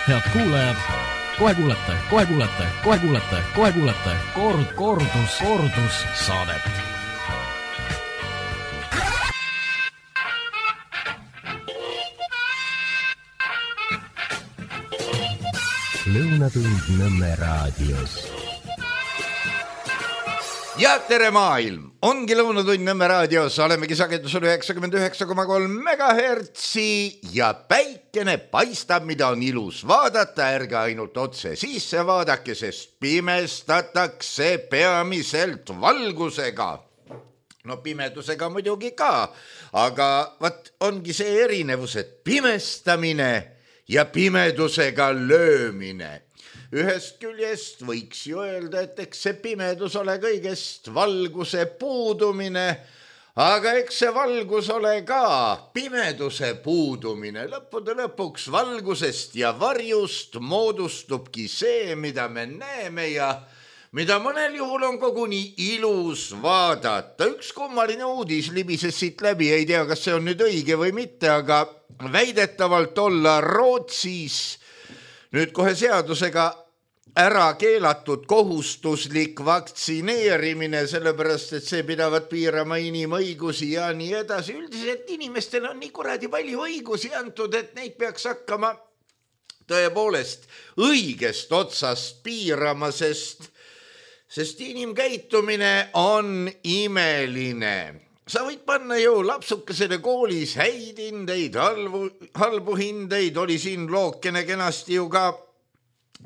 Head kuulajad, kohe kuulete kordus saadet. Lõunatund Nõmme raadios. Ja tere maailm! Ongi Lõunatund Nõmme raadios, olemegi sagedusel 99,3 megahertsi ja päikene paistab, mida on ilus vaadata, ärge ainult otse sisse vaadake, sest pimestatakse peamiselt valgusega. No pimedusega muidugi ka, aga vat ongi see erinevus, et pimestamine ja pimedusega löömine. Ühest küljest võiks ju öelda, et eks see pimedus ole kõigest valguse puudumine, aga eks see valgus ole ka pimeduse puudumine. Lõppude lõpuks valgusest ja varjust moodustubki see, mida me näeme ja mida mõnel juhul on koguni ilus vaadata. Üks kummaline uudis libises siit läbi, ei tea, kas see on nüüd õige või mitte, aga väidetavalt olla Rootsis nüüd kohe seadusega ära keelatud kohustuslik vaktsineerimine, sellepärast, et see pidavat piirama inimõigusi ja nii edasi. Üldiselt inimestel on nii kuradi palju õigusi antud, et neid peaks hakkama tõepoolest õigest otsast piirama, sest inimkäitumine on imeline. Sa võid panna ju lapsukesele koolis häid hindeid, halbu hindeid, oli siin lookene kenasti ju ka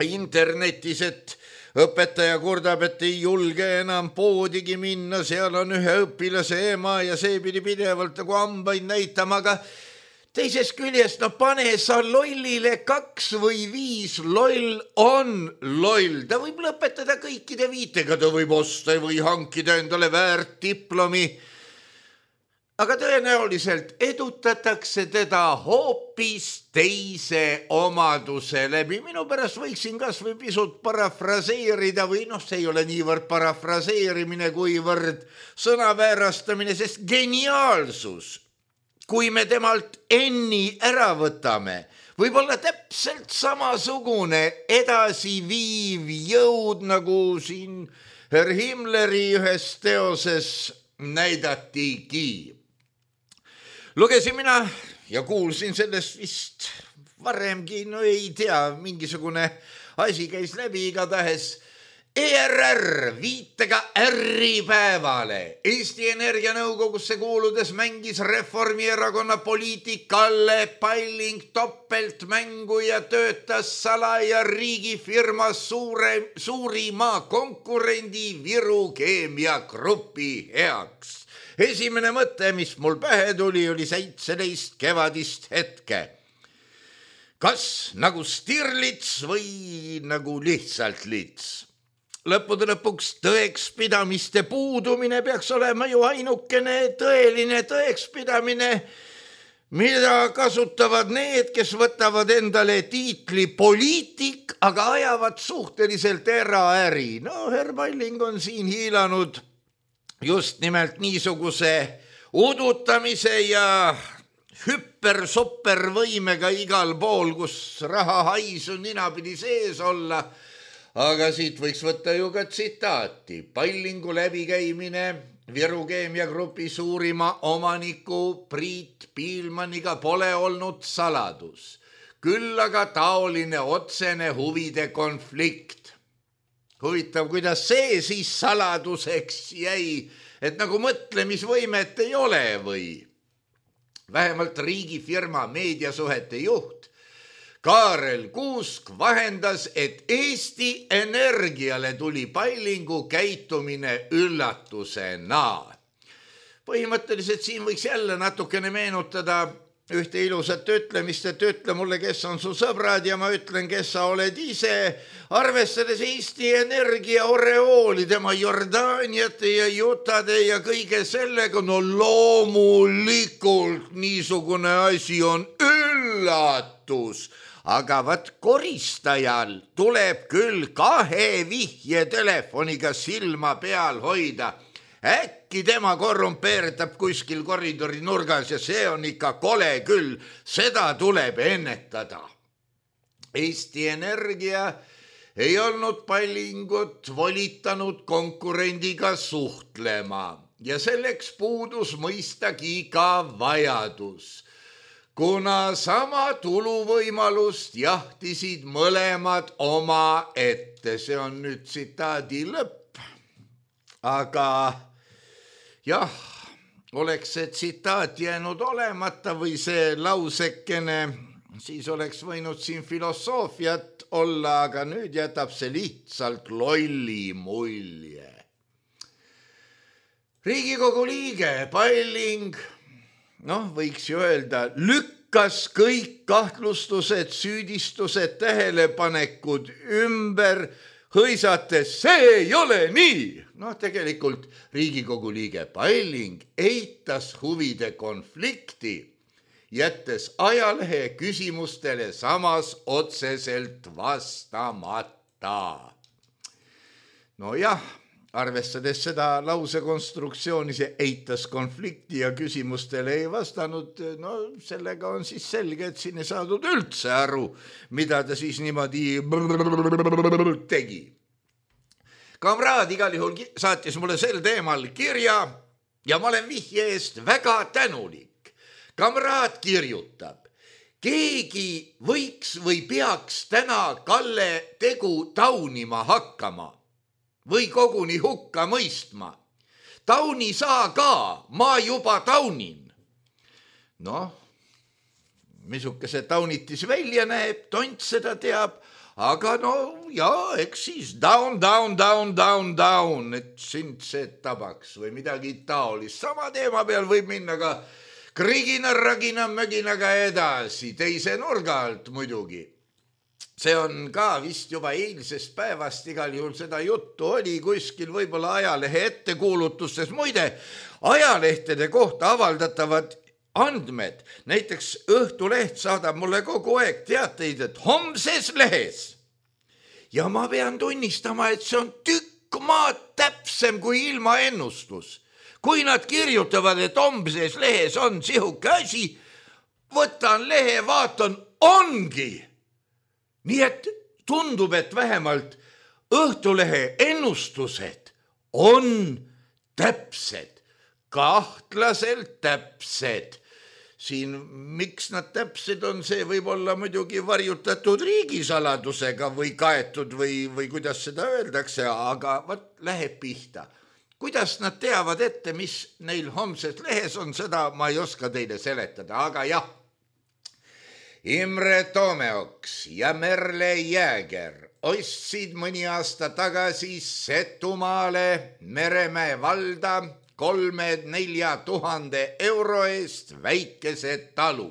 internetis, et õpetaja kurdab, et ei julge enam poodigi minna, seal on ühe õpilase ema ja see pidi pidevalt nagu hambaid näitama, aga teisest küljest, no pane sa lollile 2 või 5, loll on loll. Ta võib lõpetada kõikide viitega, ta võib osta või hankida endale väärt diplomi, aga tõenäoliselt edutatakse teda hoopis teise omaduse läbi. Minu pärast võiksin kas või pisut parafraseerida või see ei ole niivõrd parafraseerimine kuivõrd sõnaväärastamine, sest geniaalsus, kui me temalt enni ära võtame, võib olla täpselt samasugune edasiviiv jõud, nagu siin Herr Himmleri ühes teoses näidatigi. Lugesin mina ja kuulsin sellest vist varemgi, no ei tea, mingisugune asi käis läbi igatahes. ERR viitega ärripäevale. Eesti Energia nõukogusse kuuludes mängis Reformierakonna poliitik Kalle Palling topeltmängu ja töötas salaja riigifirma suurima konkurendi Viru Keemiagrupi heaks. Esimene mõte, mis mul pähe tuli, oli 17 kevadist hetke. Kas nagu Stirlits või nagu lihtsalt lits? Lõppude lõpuks tõekspidamiste puudumine peaks olema ju ainukene tõeline tõekspidamine, mida kasutavad need, kes võtavad endale tiitli poliitik, aga ajavad suhteliselt eraäri. No, Herr Palling on siin hiilanud just nimelt niisuguse udutamise ja hüpper-sopper-võimega igal pool, kus raha hais on ninapidi sees olla. Aga siit võiks võtta ju ka tsitaati. Pallingu läbikäimine Viru Keemiagrupi suurima omaniku Priit Piilmaniga pole olnud saladus. Küll aga taoline otsene huvide konflikt. Huvitav, kuidas see siis saladuseks jäi, et nagu mõtlemisvõimet ei ole või? Vähemalt riigifirma meediasuhete juht Kaarel Kuusk vahendas, et Eesti Energiale tuli Pallingu käitumine üllatusena. Põhimõtteliselt siin võiks jälle natukene meenutada ühte ilusat ütlemist, et ütle mulle, kes on su sõbrad ja ma ütlen, kes sa oled ise. Arvestades Eesti Energia oreooli, tema Jordaaniate ja Jutade ja kõige sellega, no loomulikult niisugune asi on üllatus. Aga vat koristajal tuleb küll 2 vihjetelefoniga silma peal hoida. Äkki tema korrumpeerdab kuskil koridori nurgas ja see on ikka kole küll, seda tuleb ennetada. Eesti Energia ei olnud Pallingut volitanud konkurendiga suhtlema ja selleks puudus mõistagi ka vajadus, kuna sama tuluvõimalust jahtisid mõlemad oma ette. See on nüüd tsitaadi lõpp. Aga jah, oleks see tsitaat jäänud olemata või see lausekene, siis oleks võinud siin filosoofiat olla, aga nüüd jätab see lihtsalt lolli mulje. Riigikogu liige Palling, võiks ju öelda, lükkas kõik kahtlustused, süüdistused, tähelepanekud ümber, hõisates, see ei ole nii. Tegelikult Riigikogu liige Palling eitas huvide konflikti, jättes ajalehe küsimustele samas otseselt vastamata. Arvestades seda lausekonstruktsiooni, see eitas konflikti ja küsimustele ei vastanud, sellega on siis selge, et siin ei saadud üldse aru, mida ta siis niimoodi tegi. Kamraad igal juhul saatis mulle sel teemal kirja ja ma olen vihje eest väga tänulik. Kamraad kirjutab, keegi võiks või peaks täna Kalle tegu taunima hakkama või koguni hukka mõistma. Tauni saa ka, ma juba taunin. Misuke see taunitis välja näeb, tont seda teab, aga eks siis down, et sind see tabaks või midagi taolist. Sama teema peal võib minna ka krigina, ragina, möginaga edasi, teise nurga alt muidugi. See on ka vist juba eilsest päevast, igal juhul seda juttu oli kuskil võib-olla ajalehe ettekuulutustes. Muide, ajalehtede kohta avaldatavad andmed, näiteks Õhtuleht saadab mulle kogu aeg teateid, et homses lehes. Ja ma pean tunnistama, et see on tükk maad täpsem kui ilmaennustus. Kui nad kirjutavad, et homses lehes on sihuke asi, võtan lehe, vaatan, ongi. Nii et tundub, et vähemalt Õhtulehe ennustused on täpsed, kahtlaselt täpsed. Siin, miks nad täpsed on, see võib olla muidugi varjutatud riigisaladusega või kaetud või kuidas seda öeldakse, aga läheb pihta. Kuidas nad teavad ette, mis neil homses lehes on, seda ma ei oska teile seletada, aga jah. Imre Toomeoks ja Merle Jääger ostsid mõni aasta tagasi Setumaale Meremäe valda 3-4 tuhande euro eest väikese talu.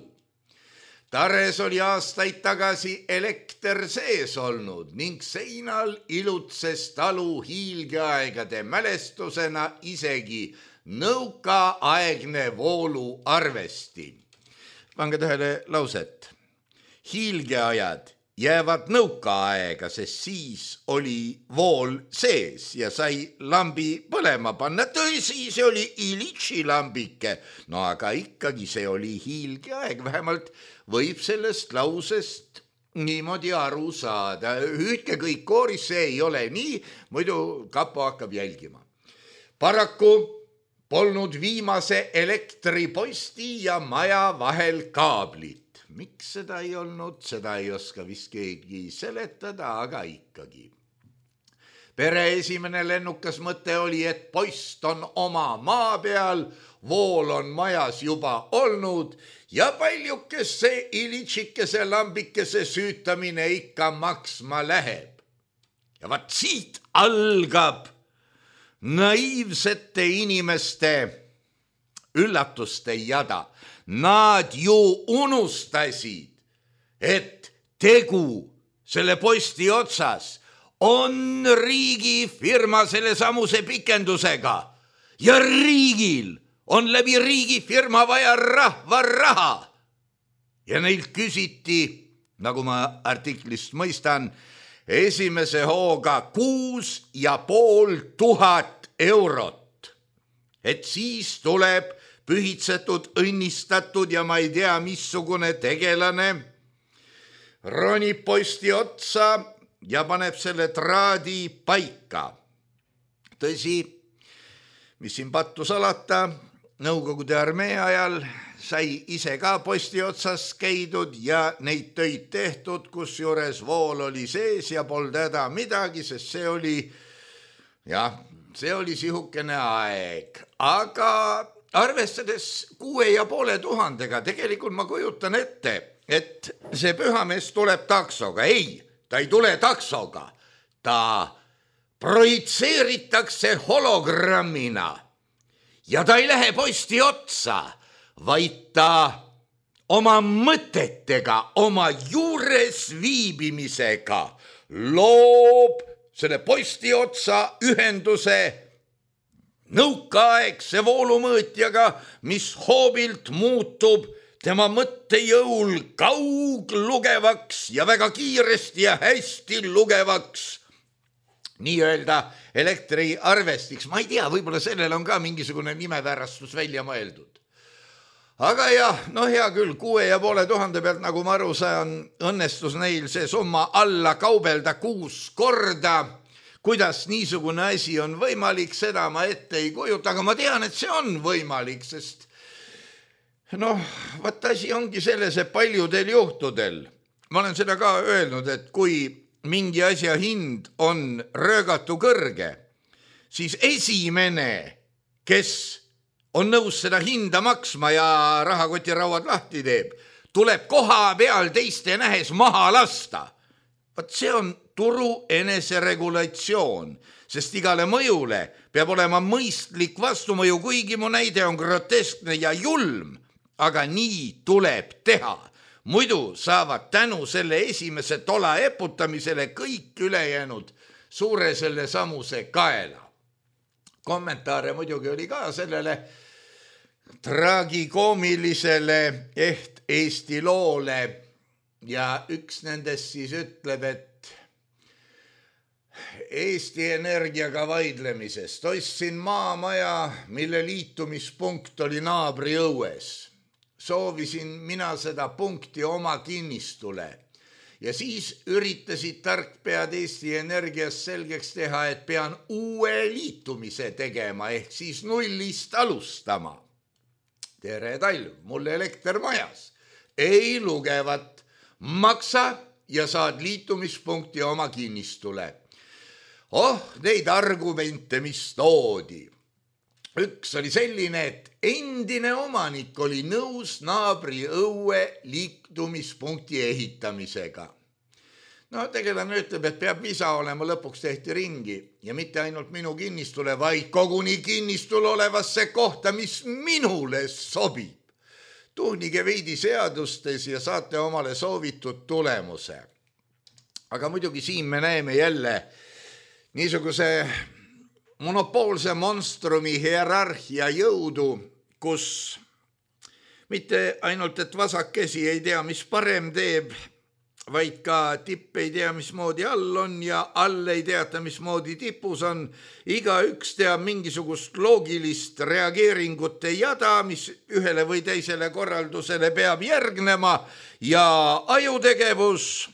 Tares oli aastaid tagasi elekter sees olnud ning seinal ilutses talu hiilgeaegade mälestusena isegi nõukaaegne vooluarvesti. Pange tähele lauset. Hiilgeajad jäävad nõukaaega, sest siis oli vool sees ja sai lambi põlema panna. Tõsi, see oli Ilitši lambike, aga ikkagi see oli hiilgeaeg. Vähemalt võib sellest lausest niimoodi aru saada. Hüüdke kõik kooris, see ei ole nii, muidu kapo hakkab jälgima. Paraku polnud viimase elektriposti ja maja vahel kaablit. Miks seda ei olnud, seda ei oska vist keegi seletada, aga ikkagi. Pere esimene lennukas mõte oli, et poist on oma maa peal, vool on majas juba olnud ja paljukese ilitšikese lambikese süütamine ikka maksma läheb. Ja vaat siit algab naiivsete inimeste üllatuste jada. Nad ju unustasid, et tegu selle posti otsas on riigifirma selle samuse pikendusega ja riigil on läbi riigifirma vaja rahva raha. Ja neilt küsiti, nagu ma artiklist mõistan, esimese hooga 6,500 eurot. Et siis tuleb pühitsetud, õnnistatud ja ma ei tea, missugune tegelane ronib posti otsa ja paneb selle traadi paika. Tõsi, mis siin pattu salata, Nõukogude armee ajal sai ise ka posti otsas käidud ja neid töid tehtud, kus juures vool oli sees ja polnud häda midagi, sest see oli sihukene aeg. Aga arvestades 6500, tegelikult ma kujutan ette, et see pühamees tuleb taksoga. Ei, ta ei tule taksoga, ta projitseeritakse hologrammina ja ta ei lähe posti otsa, vaid ta oma mõtetega, oma juures viibimisega loob selle posti otsa ühenduse nõukaaegse voolumõõtjaga, mis hoobilt muutub tema mõttejõul kauglugevaks ja väga kiiresti ja hästi lugevaks nii-öelda elektriarvestiks. Ma ei tea, võib-olla sellel on ka mingisugune nimeväärastus välja mõeldud. Aga jah, hea küll, 6500 pealt, nagu ma aru saan, õnnestus neil see summa alla kaubelda 6 korda. Kuidas niisugune asi on võimalik, seda ma ette ei kujuta, aga ma tean, et see on võimalik, sest vaat asi ongi selles, et paljudel juhtudel, ma olen seda ka öelnud, et kui mingi asja hind on röögatu kõrge, siis esimene, kes on nõus seda hinda maksma ja rahakotirauad lahti teeb, tuleb koha peal teiste nähes maha lasta. Vaat see on turu eneseregulatsioon, sest igale mõjule peab olema mõistlik vastumõju, kuigi mu näide on groteskne ja julm, aga nii tuleb teha. Muidu saavad tänu selle esimese tola eputamisele kõik ülejäänud suure selle samuse kaela. Kommentaare muidugi oli ka sellele tragikoomilisele Eesti loole ja üks nendest siis ütleb, et Eesti Energiaga vaidlemisest ostsin maamaja, mille liitumispunkt oli naabri õues. Soovisin mina seda punkti oma kinnistule ja siis üritasid tarkpead Eesti Energias selgeks teha, et pean uue liitumise tegema ehk siis nullist alustama. Tere talv, mul elekter majas. Ei lugevat, maksa ja saad liitumispunkti oma kinnistule. Neid argumente, mis toodi. Üks oli selline, et endine omanik oli nõus naabri õue liitumispunkti ehitamisega. Tegelane ütleb, et peab visa olema, lõpuks tehti ringi ja mitte ainult minu kinnistule, vaid koguni kinnistul olevasse kohta, mis minule sobib. Tuhnige veidi seadustes ja saate omale soovitud tulemuse. Aga muidugi siin me näeme jälle niisuguse monopoolse monstrumi hierarhia jõudu, kus mitte ainult, et vasakesi ei tea, mis parem teeb, vaid ka tipp ei tea, mismoodi all on ja all ei teata, mismoodi tipus on. Igaüks teab mingisugust loogilist reageeringute jada, mis ühele või teisele korraldusele peab järgnema ja ajutegevus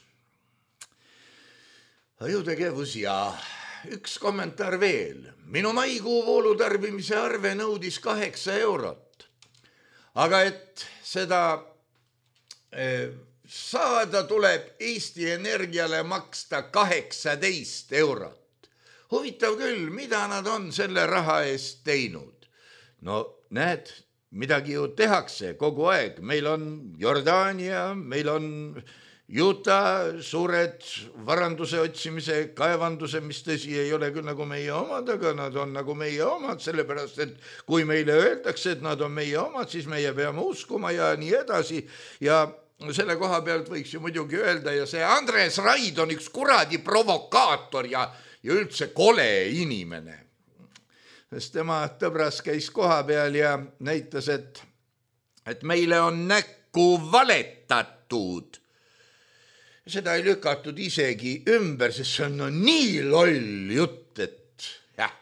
ja üks kommentaar veel. Minu maikuu voolutarbimise arve nõudis 8 eurot. Aga et seda saada, tuleb Eesti Energiale maksta 18 eurot. Huvitav küll, mida nad on selle raha eest teinud? Näed, midagi ju tehakse kogu aeg. Meil on Jordaania, meil on Utah, suured varanduse otsimise kaevanduse, mis tõsi ei ole küll nagu meie omad, aga nad on nagu meie omad, sellepärast, et kui meile öeldakse, et nad on meie omad, siis meie peame uskuma ja nii edasi. Ja selle koha pealt võiks ju muidugi öelda ja see Andres Raid on üks kuradi provokaator ja üldse kole inimene. Sest tema tõbras käis koha peal ja näitas, et meile on näkku valetatud. Seda ei lükatud isegi ümber, sest see on nii loll jutt, et jah.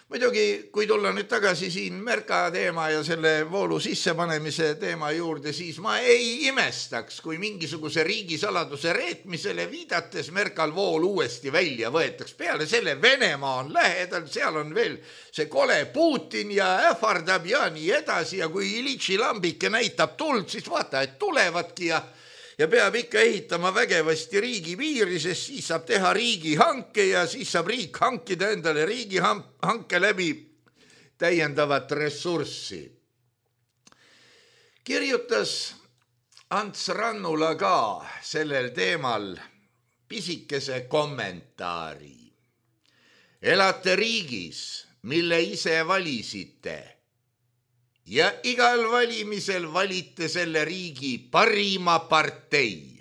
Muidugi, kui tulla nüüd tagasi siin Merka teema ja selle voolu sissepanemise teema juurde, siis ma ei imestaks, kui mingisuguse riigisaladuse reetmisele viidates Merkal vool uuesti välja võetaks. Peale selle Venemaa on lähedal, seal on veel see kole Putin ja ähvardab ja nii edasi ja kui Ilitši lambike näitab tuld, siis vaata, et tulevadki ja peab ikka ehitama vägevasti riigi piiri, sest siis saab teha riigihanke ja siis saab riik hankida endale riigihanke läbi täiendavat ressurssi. Kirjutas Ants Rannula ka sellel teemal pisikese kommentaari. Elate riigis, mille ise valisite ja igal valimisel valite selle riigi parima partei.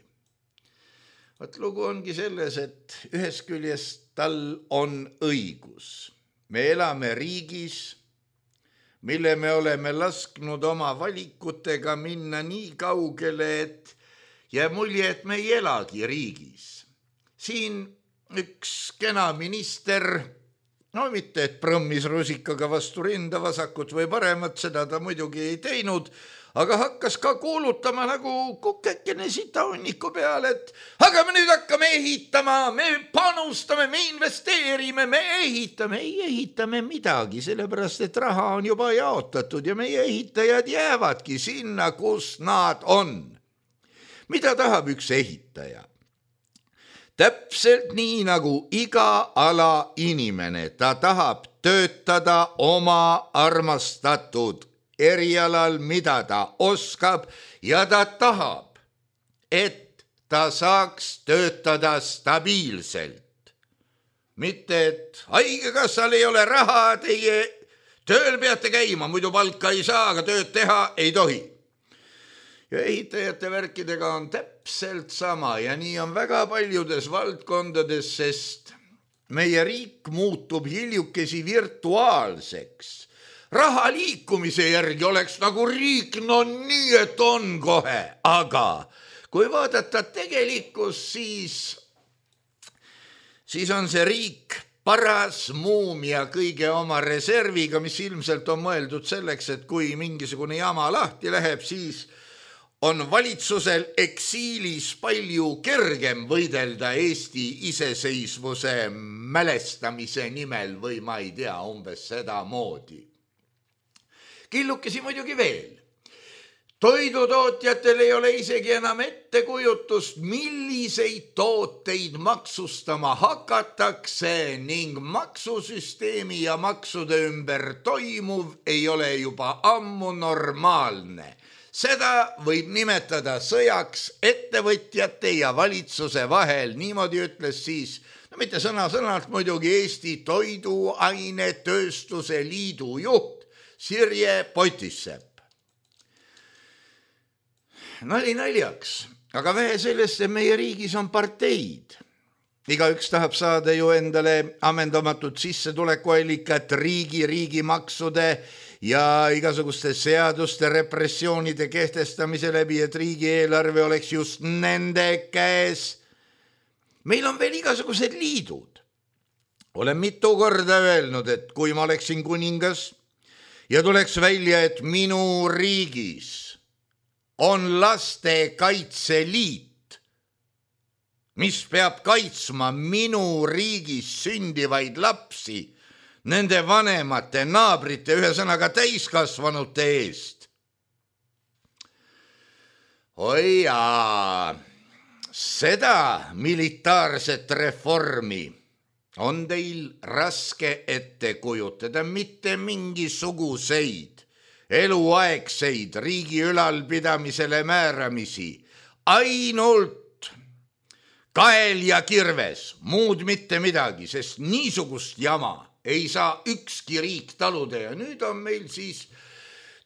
Võt lugu ongi selles, et ühes küljest tal on õigus. Me elame riigis, mille me oleme lasknud oma valikutega minna nii kaugele, et jääb mulje, et me ei elagi riigis. Siin üks kena minister, no mitte, et prõmmis rusikaga vastu rinda vasakut või paremat, seda ta muidugi ei teinud, aga hakkas ka kuulutama nagu kukekene sitaunniku peale, et aga me nüüd hakkame ehitama, me panustame, me investeerime, me ehitame, ei ehitame midagi, sellepärast, et raha on juba jaotatud ja meie ehitajad jäävadki sinna, kus nad on. Mida tahab üks ehitaja? Täpselt nii nagu iga ala inimene, ta tahab töötada oma armastatud erialal, mida ta oskab ja ta tahab, et ta saaks töötada stabiilselt. Mitte, et haigekassal ei ole raha, teie tööl peate käima, muidu palka ei saa, aga tööd teha ei tohi. Ja ehitajate värkidega on täpselt sama ja nii on väga paljudes valdkondades, sest meie riik muutub hiljukesi virtuaalseks. Raha liikumise järgi oleks nagu riik, no nii, et on kohe, aga kui vaadata tegelikkust, siis on see riik paras muumia kõige oma reserviga, mis ilmselt on mõeldud selleks, et kui mingisugune jama lahti läheb, siis on valitsusel eksiilis palju kergem võidelda Eesti iseseisvuse mälestamise nimel või ma ei tea, umbes seda moodi. Killukesi muidugi veel. Toidutootjatel ei ole isegi enam ettekujutust, milliseid tooteid maksustama hakatakse ning maksusüsteemi ja maksude ümber toimuv ei ole juba ammu normaalne. Seda võib nimetada sõjaks ettevõtjate ja valitsuse vahel, niimoodi ütles siis, no mitte sõna-sõnalt muidugi Eesti Toiduainetööstuse Liidu juht Sirje Potissepp. Nali naljaks, aga vähe sellest, et meie riigis on parteid. Igaüks tahab saada ju endale ammendamatut sissetulekuallikat riigi maksude ja igasuguste seaduste repressioonide kehtestamise läbi, et riigieelarve oleks just nende käes. Meil on veel igasugused liidud. Olen mitu korda öelnud, et kui ma oleksin kuningas ja tuleks välja, et minu riigis on lastekaitseliit, mis peab kaitsma minu riigis sündivaid lapsi nende vanemate, naabrite, ühesõnaga täiskasvanute eest. Oi jaa, seda militaarset reformi on teil raske ette kujutada, mitte mingisuguseid eluaegseid riigi ülalpidamisele määramisi, ainult kael ja kirves, muud mitte midagi, sest niisugust jama ei saa ükski riik taluda ja nüüd on meil siis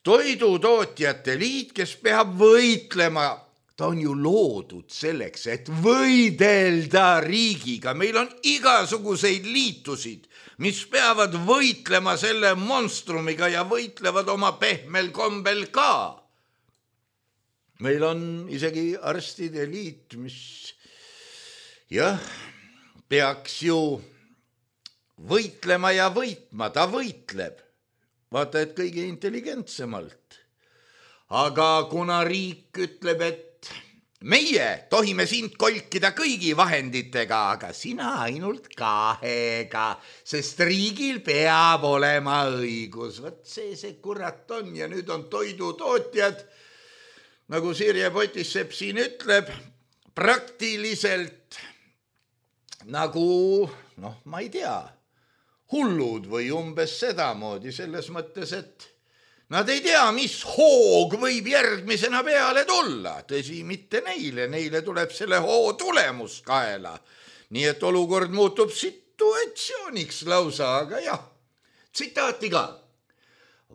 Toidutootjate Liit, kes peab võitlema. Ta on ju loodud selleks, et võidelda riigiga. Meil on igasuguseid liitusid, mis peavad võitlema selle monstrumiga ja võitlevad oma pehmel kombel ka. Meil on isegi arstide liit, mis jah, peaks ju võitlema ja võitma, ta võitleb. Vaata, et kõige intelligentsemalt. Aga kuna riik ütleb, et meie tohime sind kolkida kõigi vahenditega, aga sina ainult 2, sest riigil peab olema õigus. Võt see kurat on ja nüüd on toidutootjad, nagu Sirje Potissepp siin ütleb, praktiliselt nagu, ma ei tea, hullud või umbes sedamoodi selles mõttes, et nad ei tea, mis hoog võib järgmisena peale tulla. Tõsi, mitte neile tuleb selle hoo tulemus kaela. Nii et olukord muutub situatsiooniks lausa, aga jah, tsitaati ka.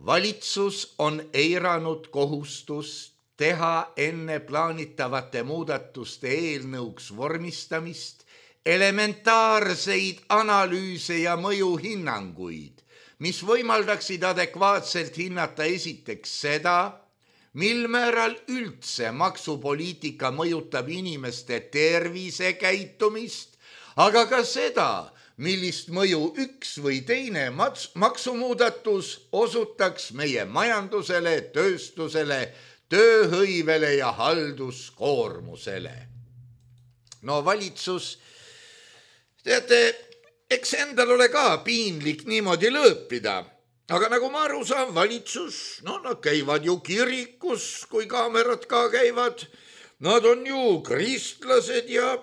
Valitsus on eiranud kohustust teha enne plaanitavate muudatuste eelnõuks vormistamist elementaarseid analüüse ja mõjuhinnanguid, mis võimaldaksid adekvaatselt hinnata esiteks seda, mil määral üldse maksupoliitika mõjutab inimeste tervisekäitumist, aga ka seda, millist mõju üks või teine maksumuudatus osutaks meie majandusele, tööstusele, tööhõivele ja halduskoormusele. No valitsus, teate, eks endal ole ka piinlik niimoodi lõõpida, aga nagu ma aru saan, valitsus, nad käivad ju kirikus, kui kaamerad ka käivad, nad on ju kristlased ja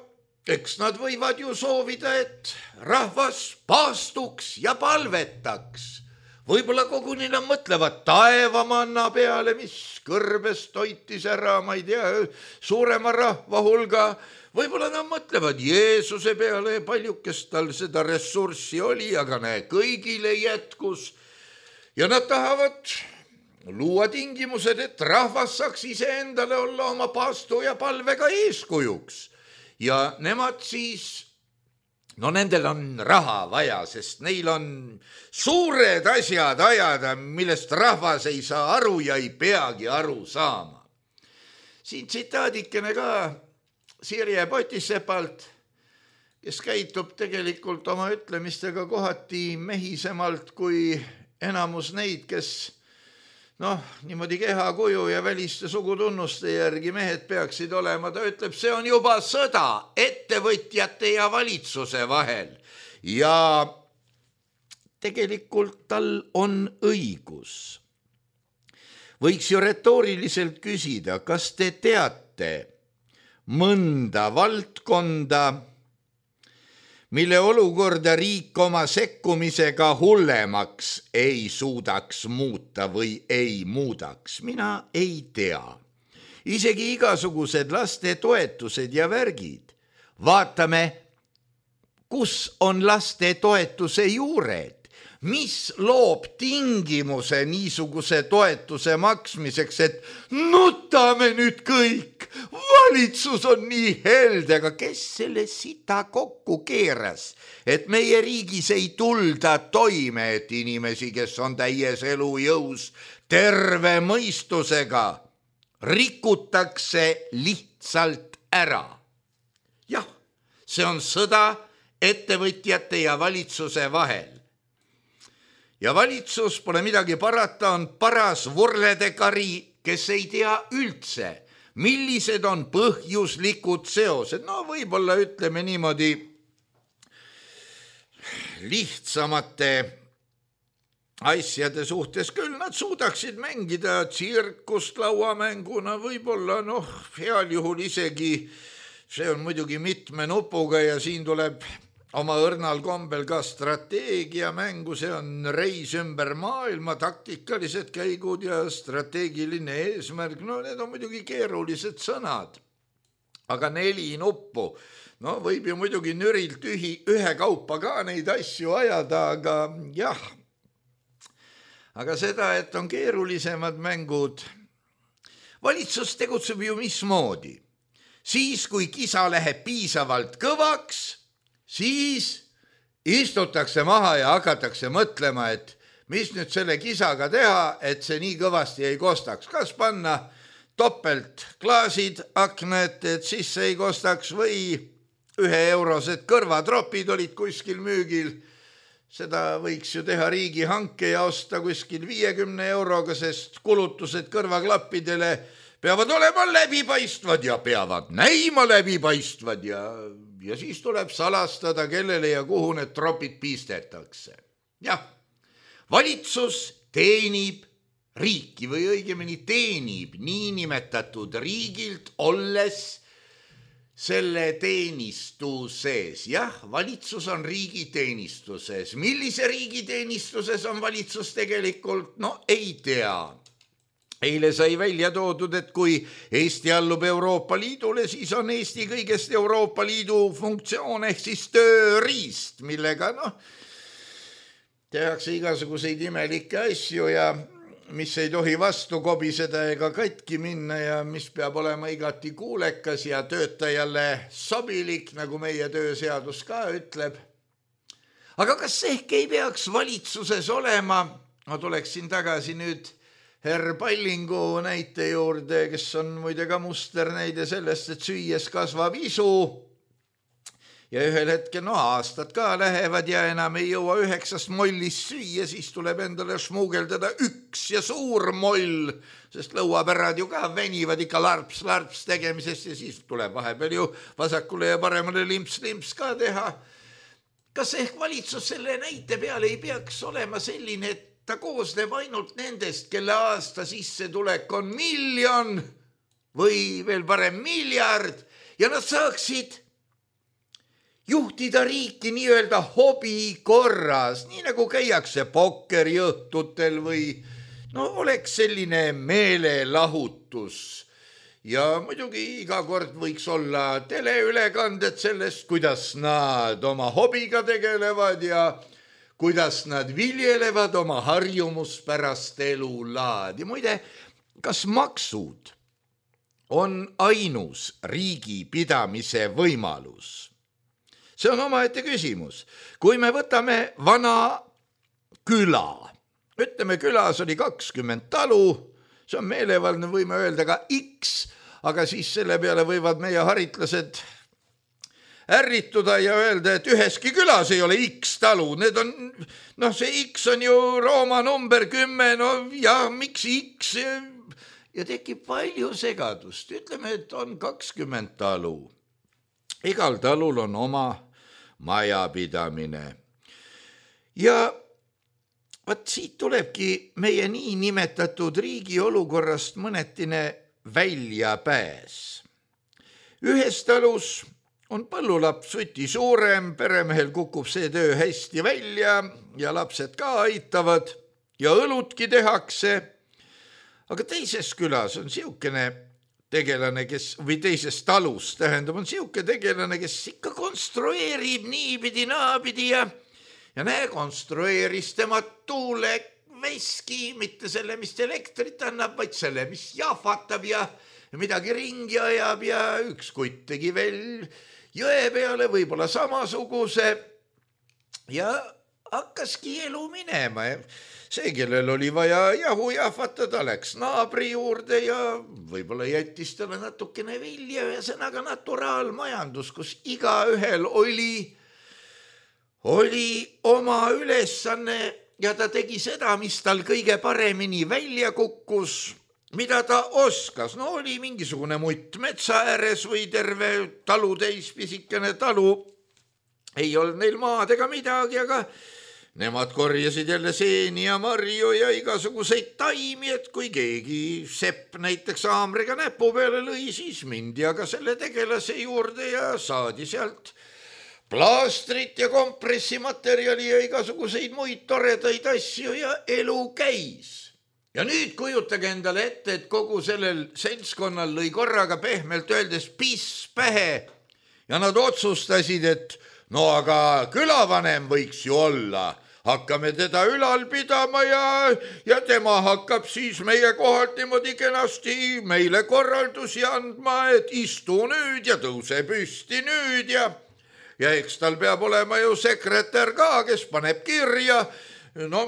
eks nad võivad ju soovida, et rahvas paastuks ja palvetaks. Võib-olla koguni nad mõtlevad taevamanna peale, mis kõrbes toitis ära, ma ei tea, suurema rahva hulga. Võib-olla nad mõtlevad Jeesuse peale, paljukest tal seda ressurssi oli, aga kõigile jätkus. Ja nad tahavad luua tingimused, et rahvas saaks iseendale olla oma paastu ja palvega eeskujuks. Ja nemad siis, nendel on raha vaja, sest neil on suured asjad ajada, millest rahvas ei saa aru ja ei peagi aru saama. Siin tsitaadikene ka Sirje Potisepalt, kes käitub tegelikult oma ütlemistega kohati mehisemalt kui enamus neid, kes niimoodi kehakuju ja väliste sugutunnuste järgi mehed peaksid olema. Ta ütleb, see on juba sõda ettevõtjate ja valitsuse vahel ja tegelikult tal on õigus. Võiks ju retooriliselt küsida, kas te teate mõnda valdkonda, mille olukorda riik oma sekkumisega hullemaks ei suudaks muuta või ei muudaks. Mina ei tea. Isegi igasugused laste toetused ja värgid. Vaatame, kus on laste toetuse juured. Mis loob tingimuse niisuguse toetuse maksmiseks, et nutame nüüd kõik. Valitsus on nii helde, aga kes selle sita kokku keeras, et meie riigis ei tulda toime, et inimesi, kes on täies elujõus, terve mõistusega, rikutakse lihtsalt ära. Jah, see on sõda ettevõtjate ja valitsuse vahel. Ja valitsus, pole midagi parata, on paras vurledekari, kes ei tea üldse, millised on põhjuslikud seosed. Võib-olla ütleme niimoodi lihtsamate asjade suhtes küll nad suudaksid mängida tsirkust lauamänguna, võib-olla heal juhul isegi, see on muidugi mitme nupuga ja siin tuleb oma õrnal kombel ka strateegia mängu, see on reis ümber maailma, taktikalised käigud ja strateegiline eesmärk. Need on muidugi keerulised sõnad, aga 4 nuppu. Võib ju muidugi nürilt ühe kaupa ka neid asju ajada, aga jah. Aga seda, et on keerulisemad mängud. Valitsus tegutseb ju mismoodi. Siis, kui kisa läheb piisavalt kõvaks, siis istutakse maha ja hakatakse mõtlema, et mis nüüd selle kisaga teha, et see nii kõvasti ei kostaks. Kas panna topelt klaasid aknad, et sisse ei kostaks või 1-eurosed kõrvatropid olid kuskil müügil. seda võiks ju teha riigihanke ja osta kuskil 50 euroga, sest kulutused kõrvaklappidele peavad olema läbipaistvad ja peavad näima läbipaistvad ja siis tuleb salastada, kellele ja kuhu need tropid pistetakse. Jah, valitsus teenib riiki või õigemini teenib niinimetatud riigilt, olles selle teenistuses. Jah, valitsus on riigi teenistuses. Millise riigi teenistuses on valitsus tegelikult? No ei tea. Eile sai välja toodud, et kui Eesti allub Euroopa Liidule, siis on Eesti kõigest Euroopa Liidu funktsioon ehk siis tööriist, millega tehakse igasuguseid imelikke asju ja mis ei tohi vastu kobiseda ega katki minna ja mis peab olema igati kuulekas ja töötajale sobilik, nagu meie tööseadus ka ütleb. Aga kas ehk ei peaks valitsuses olema, ma tuleksin tagasi nüüd Herr Pallingu näite juurde, kes on muide ka musternäide sellest, et süües kasvab isu ja ühel hetkel aastad ka lähevad ja enam ei jõua 9 mollist süüa, siis tuleb endale šmuugeldada 1 ja suur moll, sest lõuapärad ju ka venivad ikka larps tegemisest ja siis tuleb vahepeal ju vasakule ja paremale limps ka teha. Kas ehk valitsus selle näite peale ei peaks olema selline, et ta koosneb ainult nendest, kelle aasta sissetulek on 1 miljon või veel parem 1 miljard ja nad saaksid juhtida riiki nii-öelda hobi korras, nii nagu käiakse pokkeriõhtutel või oleks selline meelelahutus. Ja muidugi iga kord võiks olla teleülekanded sellest, kuidas nad oma hobiga tegelevad ja kuidas nad viljelevad oma harjumuspärast elulaadi. Muide, kas maksud on ainus riigi pidamise võimalus? See on omaette küsimus. Kui me võtame vana küla, ütleme külas oli 20 talu, see on meelevaldne, võime öelda ka X, aga siis selle peale võivad meie haritlased ärrituda ja öelda, et üheski külas ei ole X talu. Need on, see X on ju Rooma number 10, miks X? Ja tekib palju segadust. Ütleme, et on 20 talu. Igal talul on oma majapidamine. Ja vaat siit tulebki meie nii nimetatud riigi olukorrast mõnetine väljapääs. Ühes talus on põllulaps võti suurem, peremehel kukub see töö hästi välja ja lapsed ka aitavad ja õlutki tehakse. Aga teises külas on siukene tegelane, või teises talus, tähendab, on siuke tegelane, kes ikka konstrueerib niipidi naapidi ja konstrueeris tema tuuleveski, mitte selle, mis elektrit annab, vaid selle, mis jahvatab ja midagi ringi ajab ja üks kutt tegi veel jõe peale võib-olla samasuguse ja hakkaski elu minema. See, kellel oli vaja jahu jahvatada, läks naabri juurde ja võib-olla jättis talle natukene vilja, ühesõnaga naturaalmajandus, kus igaühel oli oma ülesanne ja ta tegi seda, mis tal kõige paremini välja kukkus, mida ta oskas. Oli mingisugune mutt metsa ääres või terve talutäis pisikene talu. Ei olnud neil maad ega midagi, aga nemad korjasid jälle seeni ja marju ja igasuguseid taimi, et kui keegi sepp näiteks haamriga näpu peale lõi, siis mindi aga selle tegelase juurde ja saadi sealt plaastrit ja kompressimaterjali ja igasuguseid muid toredaid asju ja elu käis. Ja nüüd kujutage endale ette, et kogu sellel seltskonnal lõi korraga pehmelt öeldes piss pähe ja nad otsustasid, et aga külavanem võiks ju olla. Hakkame teda ülal pidama ja tema hakkab siis meie kohalt niimoodi kenasti meile korraldusi andma, et istu nüüd ja tõuse püsti nüüd ja eks tal peab olema ju sekretär ka, kes paneb kirja,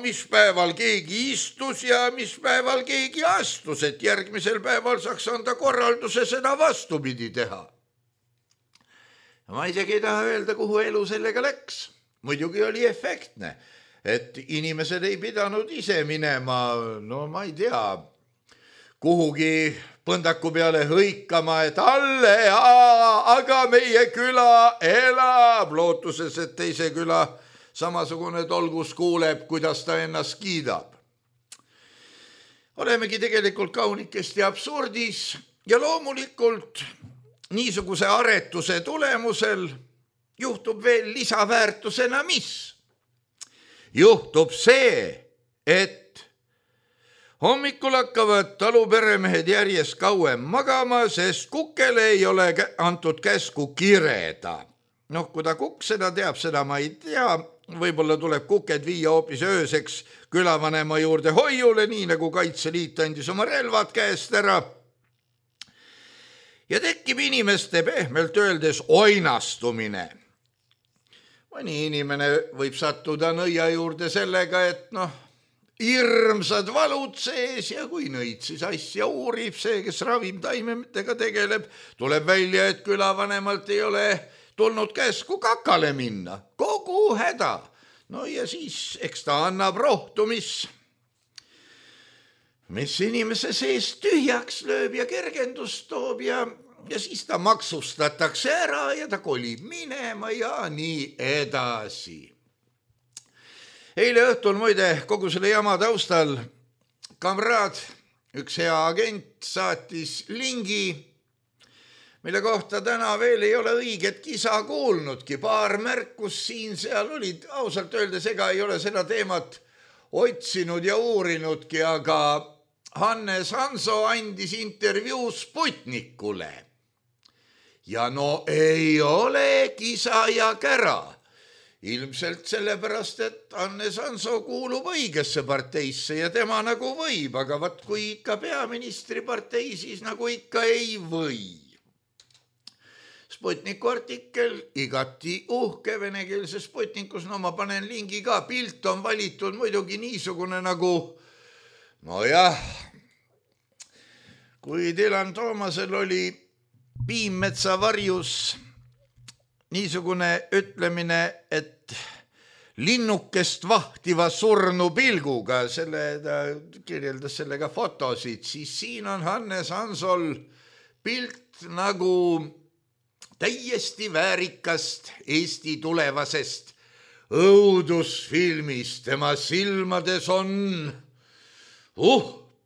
mis päeval keegi istus ja mis päeval keegi astus, et järgmisel päeval saaks anda korralduse seda vastupidi teha. Ma isegi ei taha öelda, kuhu elu sellega läks. Muidugi oli efektne. et inimesed ei pidanud ise minema, no ma ei tea, kuhugi põndaku peale hõikama, et alle, aga meie küla elab, lootuses, et teise küla samasugune tolgus kuuleb, kuidas ta ennast kiidab. Olemegi tegelikult kaunikesti absurdis ja loomulikult niisuguse aretuse tulemusel juhtub veel lisaväärtusena mis? Juhtub see, et hommikul hakkavad taluperemehed järjest kauem magama, sest kukele ei ole antud käsku kireda. Noh, kui ta kukk seda teab, seda ma ei tea. Võib-olla tuleb kuked viia hoopis ööseks külavanema juurde hoiule, nii nagu Kaitseliit andis oma relvad käest ära. Ja tekib inimeste pehmelt öeldes oinastumine. Mõni inimene võib sattuda nõia juurde sellega, et hirmsad valud sees ja kui nõid siis asja uurib see, kes ravimtaimetega tegeleb, tuleb välja, et külavanemalt ei ole tulnud käsku kakale minna. Kogu häda. No ja siis eks ta annab rohtu, mis inimese sees tühjaks lööb ja kergendust toob ja siis ta maksustatakse ära ja ta kolib minema ja nii edasi. Eile õhtul muide kogu selle jama taustal kamraad, üks hea agent, saatis lingi, mille kohta täna veel ei ole õiget kisa kuulnudki. Paar märkus siin-seal olid, ausalt öeldes ega ei ole seda teemat otsinud ja uurinudki, aga Hannes Hanso andis intervjuu Sputnikule. Ja no ei ole kisa ja kära. Ilmselt sellepärast, et Hannes Hanso kuulub õigesse parteisse ja tema nagu võib, aga vaat kui ikka peaministri partei, siis nagu ikka ei või. Sputniku artikkel, igati uhke venekeelse Sputnikus, no ma panen lingi ka, pilt on valitud muidugi niisugune nagu, nojah, kui Dylan Toomasel oli Piimmetsa varjus niisugune ütlemine, et linnukest vahtiva surnu pilguga, ta kirjeldas sellega fotosid, siis siin on Hannes Hansol pilt nagu täiesti väärikast Eesti tulevasest õudusfilmist. Tema silmades on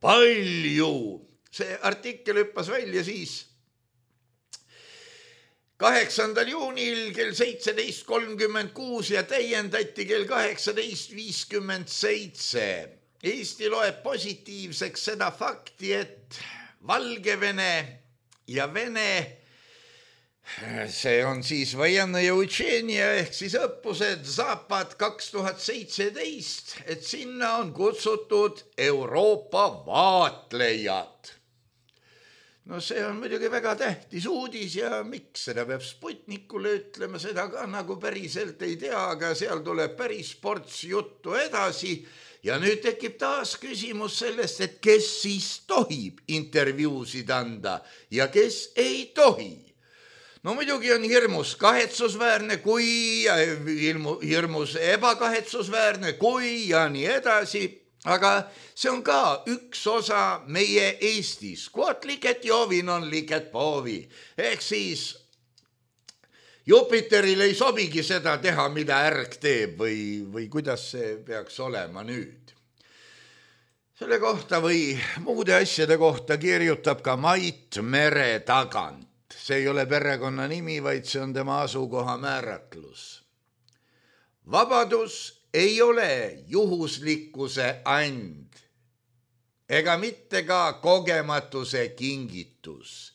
palju. See artikkel hüppas välja siis 8. juunil kell 17.36 ja täiendati kell 18.57. Eesti loeb positiivseks seda fakti, et Valgevene ja Vene, see on siis Vojennõja Učenia ehk siis õppused Zapad 2017, et sinna on kutsutud Euroopa vaatlejad. No see on muidugi väga tähtis uudis ja miks seda peab Sputnikule ütlema, seda ka nagu päriselt ei tea, aga seal tuleb päris ports juttu edasi ja nüüd tekib taas küsimus sellest, et kes siis tohib intervjuusid anda ja kes ei tohi. No muidugi on hirmus kahetsusväärne, kui ja hirmus ebakahetsusväärne, kui ja nii edasi. Aga see on ka üks osa meie Eestis. Quod licet Jovi non licet Bovi. Ehk siis Jupiteril ei sobigi seda teha, mida ärg teeb või kuidas see peaks olema nüüd. Selle kohta või muude asjade kohta kirjutab ka Mait Mere tagant. See ei ole perekonna nimi, vaid see on tema asukoha määratlus. Vabadus ei ole juhuslikkuse and ega mitte ka kogematuse kingitus,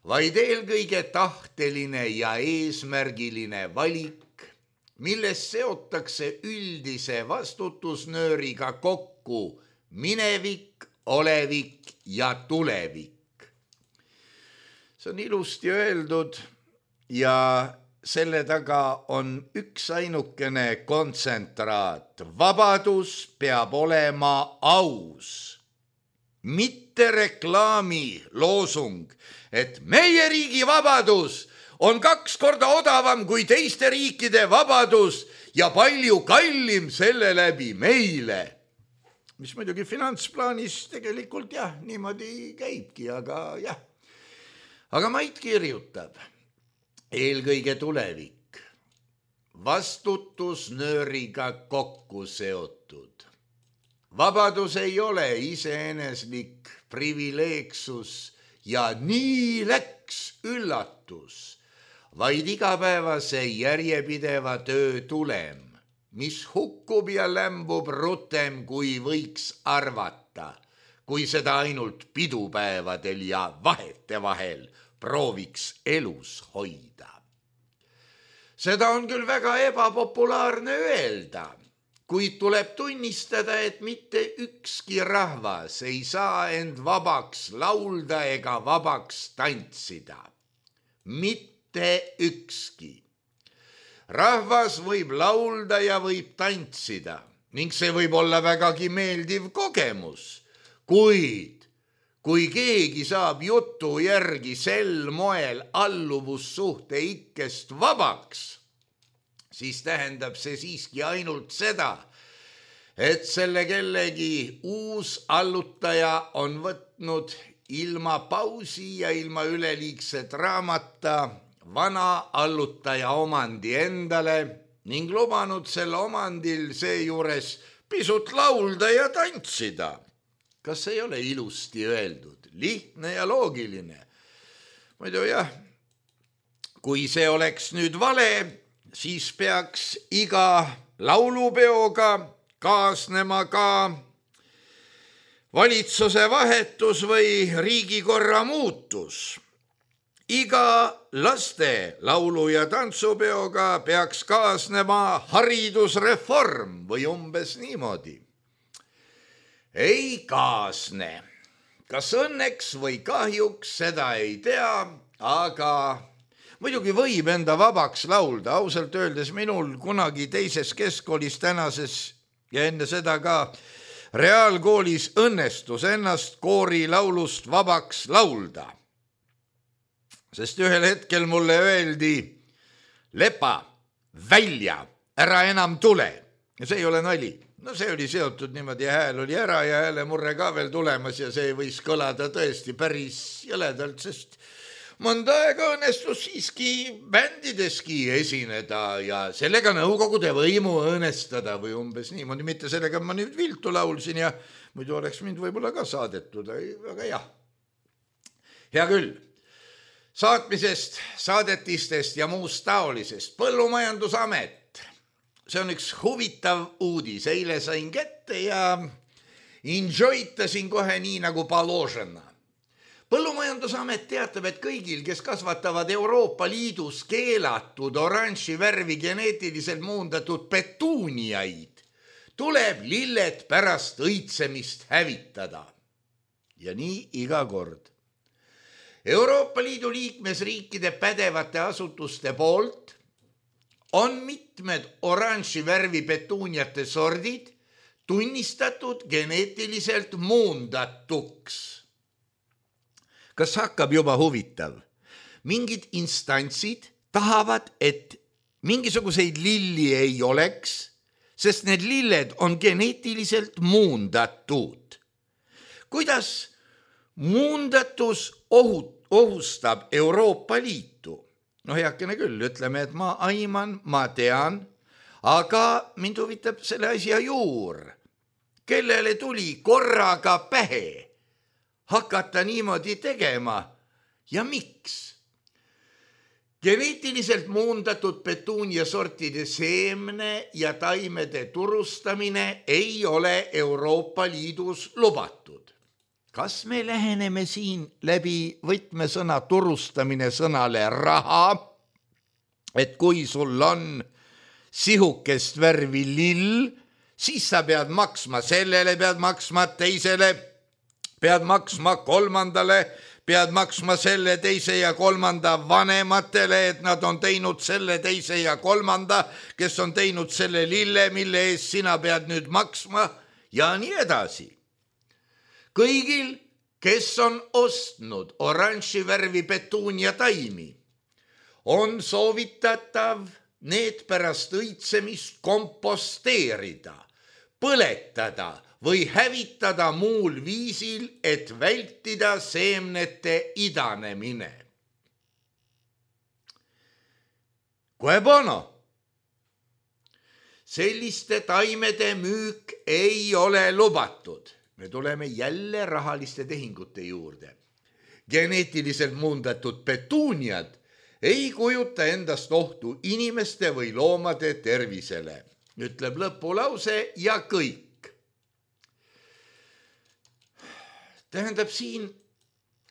vaid eelkõige tahteline ja eesmärgiline valik, milles seotakse üldise vastutusnööriga kokku minevik, olevik ja tulevik. See on ilusti öeldud ja selle taga on üks ainukene kontsentraat. Vabadus peab olema aus, mitte reklaami loosung, et meie riigi vabadus on 2 korda odavam kui teiste riikide vabadus ja palju kallim selle läbi meile. Mis muidugi finantsplaanis tegelikult jah, niimoodi käibki, aga jah. Aga Mait kirjutab, eelkõige tulevik, vastutusnööriga kokku seotud. Vabadus ei ole iseeneslik privileegsus ja nii läks üllatus, vaid igapäevase järjepideva töö tulem, mis hukkub ja lämbub rutem, kui võiks arvata, kui seda ainult pidupäevadel ja vahetevahel prooviks elus hoida. Seda on küll väga ebapopulaarne öelda, kuid tuleb tunnistada, et mitte ükski rahvas ei saa end vabaks laulda ega vabaks tantsida. Mitte ükski. Rahvas võib laulda ja võib tantsida ning see võib olla vägagi meeldiv kogemus, kuid kui keegi saab jutu järgi sel moel alluvussuhte ikkest vabaks, siis tähendab see siiski ainult seda, et selle kellegi uus allutaja on võtnud ilma pausi ja ilma üleliigse draamata vana allutaja omandi endale ning lubanud selle omandil seejuures pisut laulda ja tantsida. Kas ei ole ilusti öeldud, lihtne ja loogiline? Muidu jah, kui see oleks nüüd vale, siis peaks iga laulupeoga kaasnema ka valitsuse vahetus või riigikorra muutus. Iga laste laulu- ja tantsupeoga peaks kaasnema haridusreform või umbes niimoodi. Ei kaasne. Kas õnneks või kahjuks, seda ei tea, aga muidugi võib enda vabaks laulda. Ausalt öeldes minul kunagi teises keskkoolis tänases ja enne seda ka reaalkoolis õnnestus ennast koorilaulust vabaks laulda. Sest ühel hetkel mulle öeldi, lepa, välja, ära enam tule. Ja see ei ole nali. No see oli seotud niimoodi, hääl oli ära ja häälemurre ka veel tulemas ja see võis kõlada tõesti päris jõledalt, sest mõnda aega õnnestus siiski bändideski esineda ja sellega nõukogude võimu õõnestada või umbes niimoodi, mitte sellega ma nüüd viltu laulsin ja muidu oleks mind võib-olla ka saadetud, aga jah. Hea küll, saatmisest, saadetistest ja muust taolisest. Põllumajandusamet. See on üks huvitav uudis, eile sain kätte ja enjoytasin kohe nii nagu paložena. Põllumajandusamet teatab, et kõigil, kes kasvatavad Euroopa Liidus keelatud oranži värvi geneetiliselt muundatud petuuniaid, tuleb lilled pärast õitsemist hävitada. Ja nii iga kord. Euroopa Liidu liikmesriikide pädevate asutuste poolt on mitmed oranži värvi petuuniate sordid tunnistatud geneetiliselt muundatuks. Kas hakkab juba huvitav? Mingid instantsid tahavad, et mingisuguseid lilli ei oleks, sest need lilled on geneetiliselt muundatud. Kuidas muundatus ohustab Euroopa Liitu? No heakene küll, ütleme, et ma aiman, ma tean, aga mind huvitab selle asja juur. Kellele tuli korraga pähe hakata niimoodi tegema ja miks? Geneetiliselt muundatud petuunia sortide seemne ja taimede turustamine ei ole Euroopa Liidus lubatud. Kas me läheneme siin läbi võtmesõna turustamine sõnale raha, et kui sul on sihukest värvi lill, siis sa pead maksma sellele, pead maksma teisele, pead maksma kolmandale, pead maksma selle teise ja kolmanda vanematele, et nad on teinud selle teise ja kolmanda, kes on teinud selle lille, mille eest sina pead nüüd maksma ja nii edasi. Kõigil, kes on ostnud oranži värvi petuunia taimi, on soovitatav need pärast õitsemist komposteerida, põletada või hävitada muul viisil, et vältida seemnete idanemine. Cui bono? Selliste taimede müük ei ole lubatud. Me tuleme jälle rahaliste tehingute juurde. Geneetiliselt muundatud petuuniad ei kujuta endast ohtu inimeste või loomade tervisele, ütleb lõpulause ja kõik. Tähendab, siin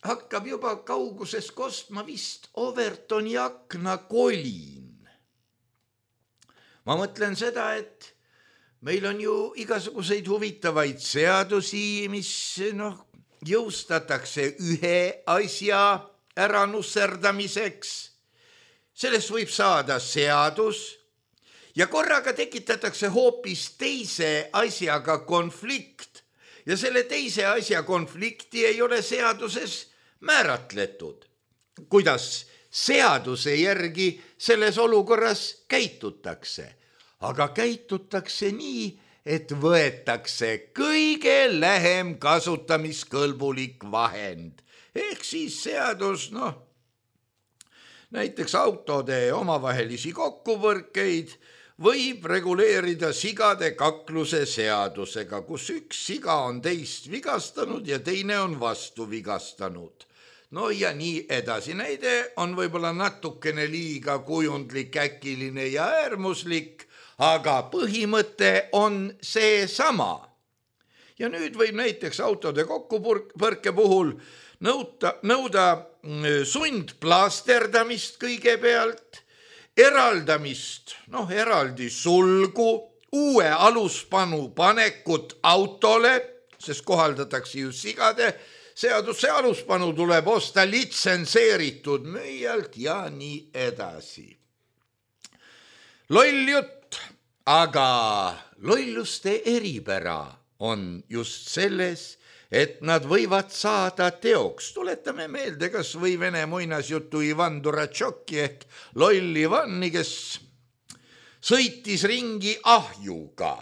hakkab juba kauguses kostma vist Overtoni aknakolin. Ma mõtlen seda, et meil on ju igasuguseid huvitavaid seadusi, mis jõustatakse ühe asja ära nusserdamiseks. Sellest võib saada seadus ja korraga tekitatakse hoopis teise asjaga konflikt ja selle teise asja konflikti ei ole seaduses määratletud. Kuidas seaduse järgi selles olukorras käitutakse, aga käitutakse nii, et võetakse kõige lähem kasutamiskõlbulik vahend. Ehk siis seadus, näiteks autode omavahelisi kokkupõrkeid võib reguleerida sigade kakluse seadusega, kus üks siga on teist vigastanud ja teine on vastu vigastanud. Ja nii edasi. Näide on võib-olla natukene liiga kujundlik, äkiline ja äärmuslik, aga põhimõte on see sama. Ja nüüd võib näiteks autode kokkupõrke puhul nõuda sundplaasterdamist kõigepealt, eraldamist, eraldi sulgu, uue aluspanu panekut autole, sest kohaldatakse ju sigade seaduse aluspanu tuleb osta litsenseeritud müüjalt ja nii edasi. Loll jutt, aga lolluste eripära on just selles, et nad võivad saada teoks. Tuletame meelde kas või vene muinasjutu Ivan Duratšoki ehk loll Ivani, kes sõitis ringi ahjuga.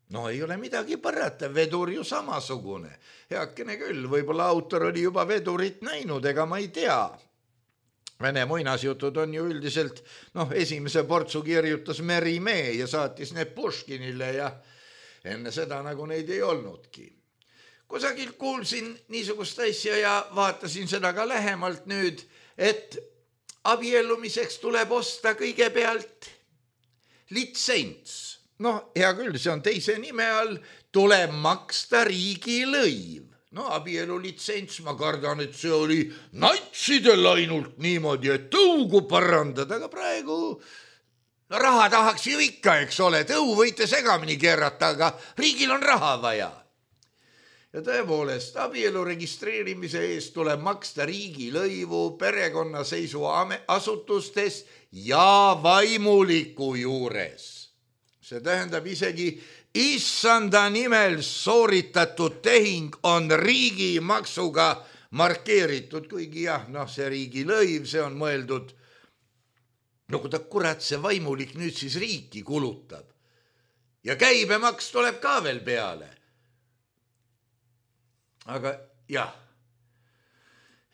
Ei ole midagi parata, vedur ju samasugune. Heakene küll, võib-olla autor oli juba vedurit näinud, ega ma ei tea. Vene muinasjutud on ju üldiselt, esimese portsu kirjutas Merimee ja saatis need Puškinile ja enne seda nagu neid ei olnudki. Kusagil kuulsin niisugust asja ja vaatasin seda ka lähemalt nüüd, et abiellumiseks tuleb osta kõigepealt litsents. Hea küll, see on teise nime all, tuleb maksta riigilõiv. Abielulitsents, ma kardan, et see oli natsidel ainult niimoodi, et tõugu parandada, aga praegu raha tahaks ju ikka, eks ole, tõu võite segamini keerata, aga riigil on raha vaja. Ja tõepoolest, abielu registreerimise eest tuleb maksta riigilõivu perekonnaseisuasutustes ja vaimuliku juures. See tähendab isegi issanda nimel sooritatud tehing on riigimaksuga markeeritud, kuigi see riigilõiv, see on mõeldud, kurat see vaimulik nüüd siis riiki kulutab. Ja käibemaks tuleb ka veel peale. Aga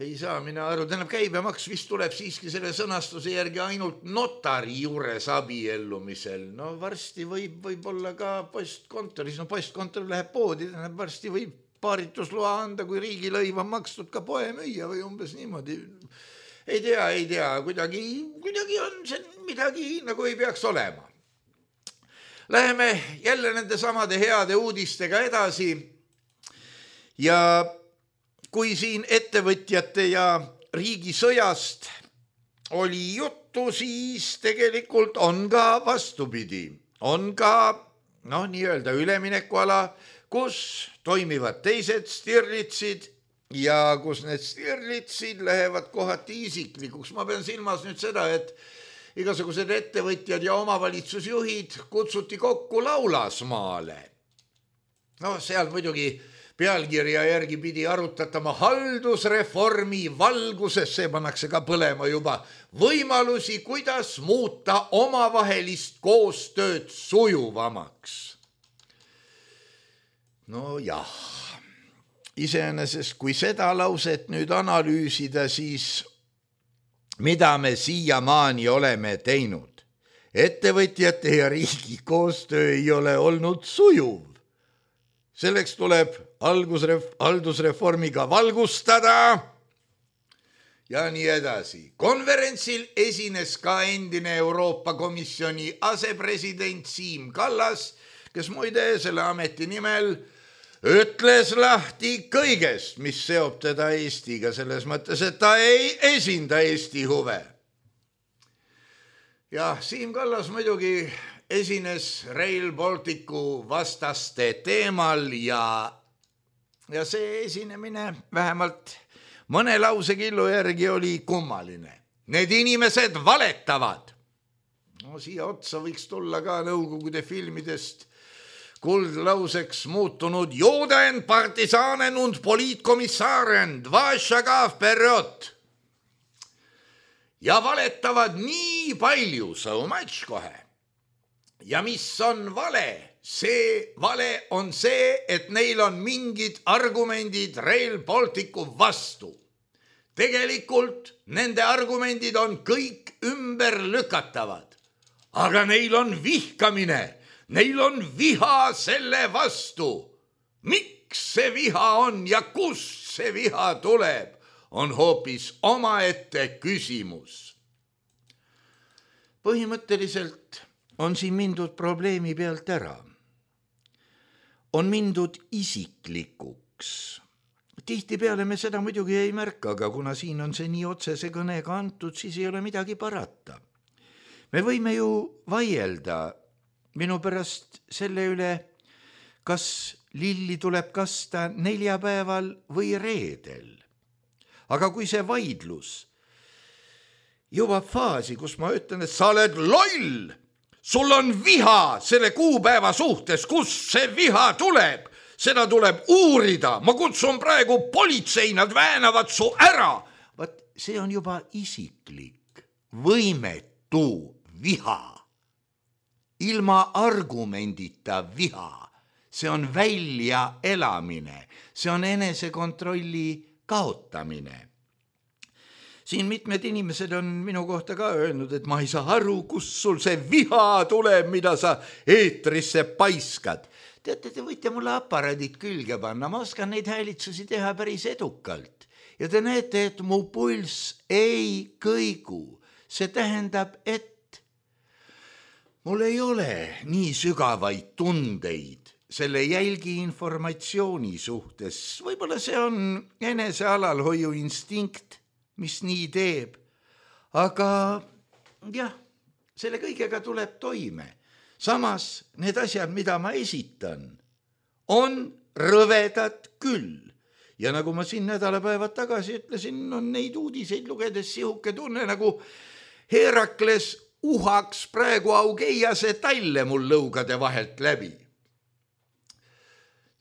ei saa mina aru, tähendab käibemaks vist tuleb siiski selle sõnastuse järgi ainult notari juures abiellumisel. Varsti võib olla ka postkontoris, postkontor läheb poodi, tähendab varsti võib paaritusloa anda, kui riigilõiv on makstud ka poemüüja või umbes niimoodi. Ei tea, kuidagi on see midagi nagu ei peaks olema. Läheme jälle nende samade heade uudistega edasi ja kui siin ettevõtjate ja riigisõjast oli juttu, siis tegelikult on ka vastupidi. On ka nii-öelda üleminekuala, kus toimivad teised Stirlitsid ja kus need Stirlitsid lähevad kohati isiklikuks. Ma pean silmas nüüd seda, et igasugused ettevõtjad ja omavalitsusjuhid kutsuti kokku Laulasmaale. Seal muidugi pealkirja järgi pidi arutatama haldusreformi valguses, see pannakse ka põlema juba, võimalusi, kuidas muuta omavahelist koostööd sujuvamaks. No jah, iseenesest kui seda lauset nüüd analüüsida, siis mida me siiamaani oleme teinud? Ettevõtjate ja riigi koostöö ei ole olnud sujuv. Selleks tuleb haldusreformiga valgustada ja nii edasi. Konverentsil esines ka endine Euroopa Komisjoni asepresident Siim Kallas, kes muide selle ameti nimel ütles lahti kõigest, mis seob teda Eestiga, selles mõttes, et ta ei esinda Eesti huve. Ja Siim Kallas muidugi esines Rail Balticu vastaste teemal ja see esinemine vähemalt mõne lausekillu järgi oli kummaline. Need inimesed valetavad. No siia otsa võiks tulla ka Nõukogude filmidest kuldlauseks muutunud Juden, partisanen und poliitkomissaren, dvašagav periood. Ja valetavad nii palju, so much kohe. Ja mis on vale? See vale on see, et neil on mingid argumendid Rail Balticu vastu. Tegelikult nende argumendid on kõik ümberlükatavad. Aga neil on vihkamine, neil on viha selle vastu. Miks see viha on ja kust see viha tuleb, on hoopis omaette küsimus. Põhimõtteliselt on siin mindud probleemi pealt ära. On mindud isiklikuks. Tihtipeale me seda muidugi ei märka, aga kuna siin on see nii otsese kõnega antud, siis ei ole midagi parata. Me võime ju vaielda minu pärast selle üle, kas lilli tuleb kasta neljapäeval või reedel. Aga kui see vaidlus jõuab faasi, kus ma ütlen, et sa oled loll, sul on viha selle kuupäeva suhtes, kus see viha tuleb, seda tuleb uurida, ma kutsun praegu politsei, nad väänavad su ära. Vaat see on juba isiklik, võimetu viha, ilma argumendita viha, see on väljaelamine, see on enesekontrolli kaotamine. Siin mitmed inimesed on minu kohta ka öelnud, et ma ei saa aru, kus sul see viha tuleb, mida sa eetrisse paiskad. Teate, te võite mulle aparaadid külge panna, ma oskan neid häälitsusi teha päris edukalt. Ja te näete, et mu pulss ei kõigu. See tähendab, et mul ei ole nii sügavaid tundeid selle jälgi informatsiooni suhtes. Võib-olla see on enesealalhoiu instinkt, mis nii teeb. Aga jah, selle kõigega tuleb toime. Samas need asjad, mida ma esitan, on rõvedad küll. Ja nagu ma siin nädalapäevad tagasi ütlesin, on neid uudiseid lugedes sihuke tunne, nagu Herakles uhaks praegu Augeiase talle mul lõugade vahelt läbi.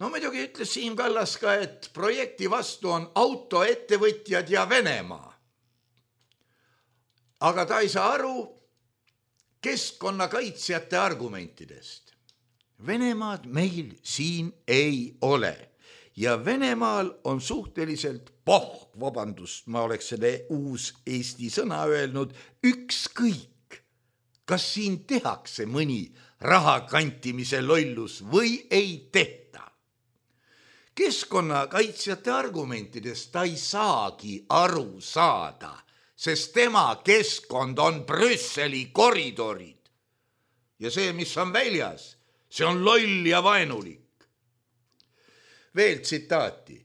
No muidugi ütles Siim Kallas ka, et projekti vastu on autoettevõtjad ja Venemaa. Aga ta ei saa aru keskkonnakaitsjate argumentidest. Venemaad meil siin ei ole. Ja Venemaal on suhteliselt vabandust, ma oleks selle uus Eesti sõna öelnud, ükskõik, kas siin tehakse mõni rahakantimise lollus või ei tehta. Keskkonnakaitsjate argumentidest ta ei saagi aru saada, sest tema keskkond on Brüsseli koridorid. Ja see, mis on väljas, see on loll ja vaenulik. Veel tsitaati,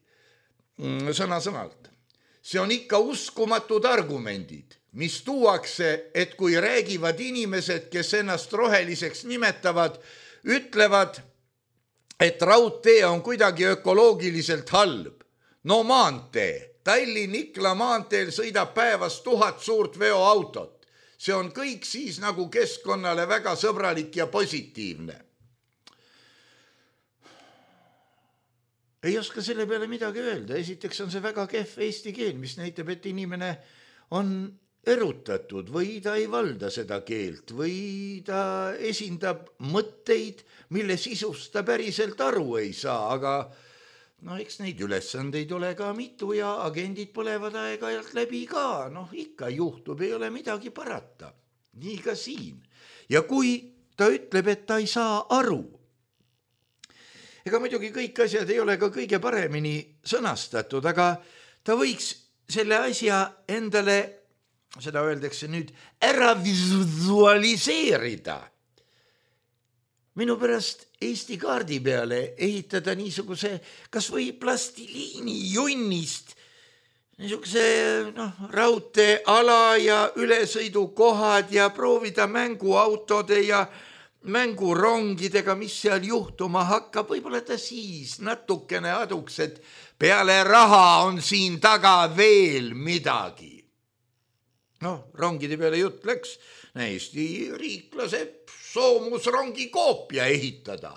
sõna-sõnalt. See on ikka uskumatud argumendid, mis tuuakse, et kui räägivad inimesed, kes ennast roheliseks nimetavad, ütlevad, et raudtee on kuidagi ökoloogiliselt halb. No maantee, Tallinn-Ikla maanteel sõidab päevas 1000 suurt veoautot. See on kõik siis nagu keskkonnale väga sõbralik ja positiivne. ei oska selle peale midagi öelda. Esiteks on see väga kehv eesti keel, mis näitab, et inimene on erutatud või ta ei valda seda keelt või ta esindab mõtteid, mille sisust ta päriselt aru ei saa, aga eks neid ülesandeid ole ka mitu ja agendid põlevad aeg-ajalt läbi ka. Ikka juhtub, ei ole midagi parata. Nii ka siin. Ja kui ta ütleb, et ta ei saa aru, ega muidugi kõik asjad ei ole ka kõige paremini sõnastatud, aga ta võiks selle asja endale, seda öeldakse nüüd, ära visualiseerida. Minu pärast Eesti kaardi peale ehitada niisuguse kas või plastiliini junnist, niisuguse raudteeala ja ülesõidukohad ja proovida mänguautode ja mängurongidega, mis seal juhtuma hakkab, võib-olla ta siis natukene aduks, et peale raha on siin taga veel midagi. Rongide peale jutt läks, Eesti riik laseb soomusrongi koopia ehitada.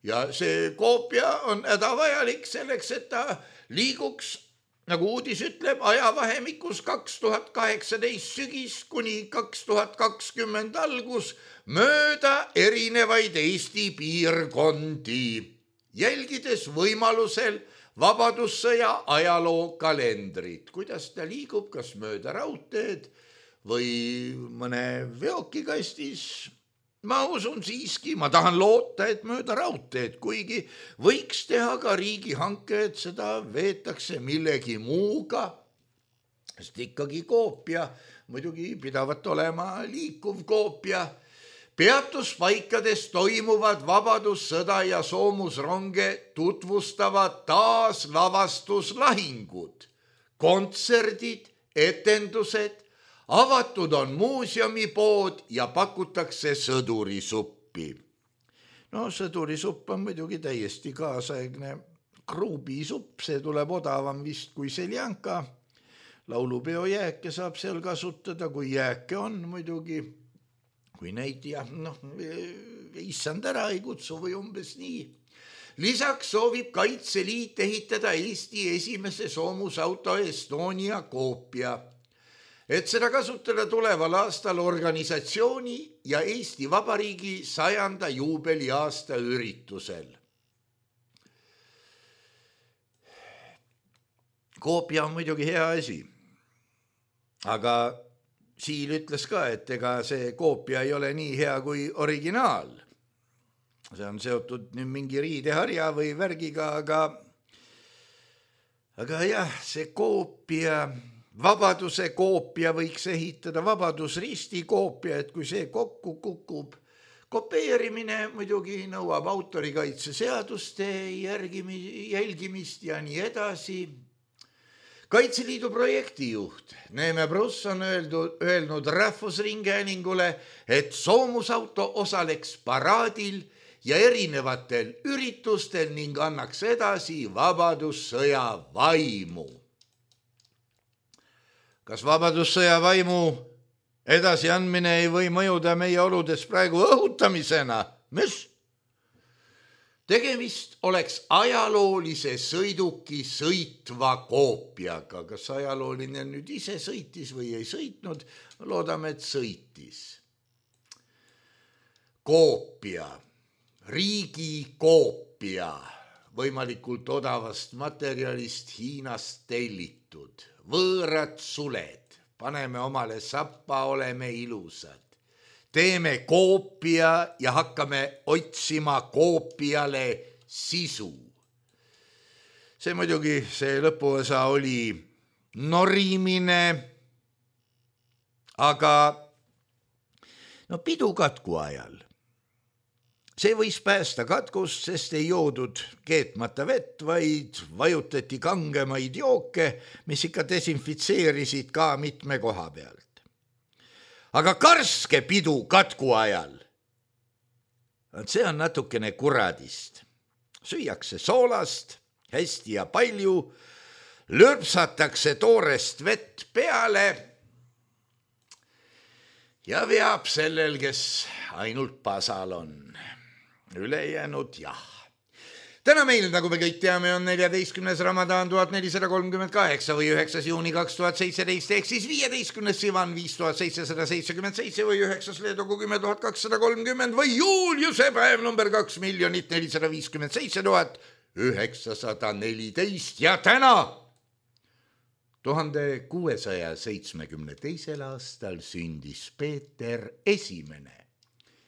Ja see koopia on hädavajalik selleks, et ta liiguks, nagu uudis ütleb, ajavahemikus 2018 sügis kuni 2020 algus mööda erinevaid Eesti piirkondi, jälgides võimalusel Vabadussõja ajaloo kalendrit. Kuidas ta liigub, kas mööda raudteed või mõne veokikastis? Ma usun siiski, ma tahan loota, et mööda raudteed, kuigi võiks teha ka riigihanke, et seda veetakse millegi muuga, sest ikkagi koopia, muidugi pidavat olema liikuv koopia. Peatuspaikades toimuvad vabadussõda ja soomusronge tutvustavad taas lavastuslahingud, kontserdid, etendused, avatud on muuseumipood ja pakutakse sõdurisuppi. Sõdurisupp on muidugi täiesti kaasaegne kruubisupp, see tuleb odavam vist kui seljanka. Laulupeo jääke saab seal kasutada, kui jääke on muidugi, kui neid issand ära ei kutsu või umbes nii. Lisaks soovib Kaitseliit ehitada Eesti esimese soomusauto Estonia koopia, et seda kasutada tuleval aastal organisatsiooni ja Eesti Vabariigi 100. juubeliaasta üritusel. Koopia on muidugi hea asi, aga Siil ütles ka, et ega see koopia ei ole nii hea kui originaal. See on seotud nüüd mingi riideharja või värgiga, aga jah, see koopia, Vabaduse koopia võiks ehitada, Vabadusristi koopia, et kui see kokku kukub, kopeerimine muidugi nõuab autorikaitseseaduste jälgimist ja nii edasi. Kaitseliidu projektijuht Neeme Pruss on öelnud Rahvusringhäälingule, et soomusauto osaleks paraadil ja erinevatel üritustel ning annaks edasi Vabadussõja vaimu. Kas Vabadussõja vaimu edasiandmine ei või mõjuda meie oludes praegu õhutamisena? Mis? Tegemist oleks ajaloolise sõiduki sõitva koopiaga. Kas ajalooline nüüd ise sõitis või ei sõitnud? Loodame, et sõitis. Koopia, riigi koopia, võimalikult odavast materjalist Hiinast tellitud, võõrad suled, paneme omale sappa, oleme ilusad. Teeme koopia ja hakkame otsima koopiale sisu. See muidugi, see lõpuosa oli norimine, aga pidu katku ajal. See võis päästa katkust, sest ei joodud keetmata vett, vaid vajutati kangemaid jooke, mis ikka desinfitseerisid ka mitme koha pealt. Aga karske pidu katku ajal, see on natukene kuradist. Süüakse soolast, hästi ja palju, lörpsatakse toorest vett peale ja veab sellel, kes ainult pasal on. Ülejäänud jah. täna meil, nagu me kõik teame, on 14. Ramadan 1438 või 9. juuni 2017 ehk siis 15. Sivan 5777 või 9. Leedogu 10 230 või Juliuse päev number 2 457 914 ja täna 1672. aastal sündis Peeter Esimene.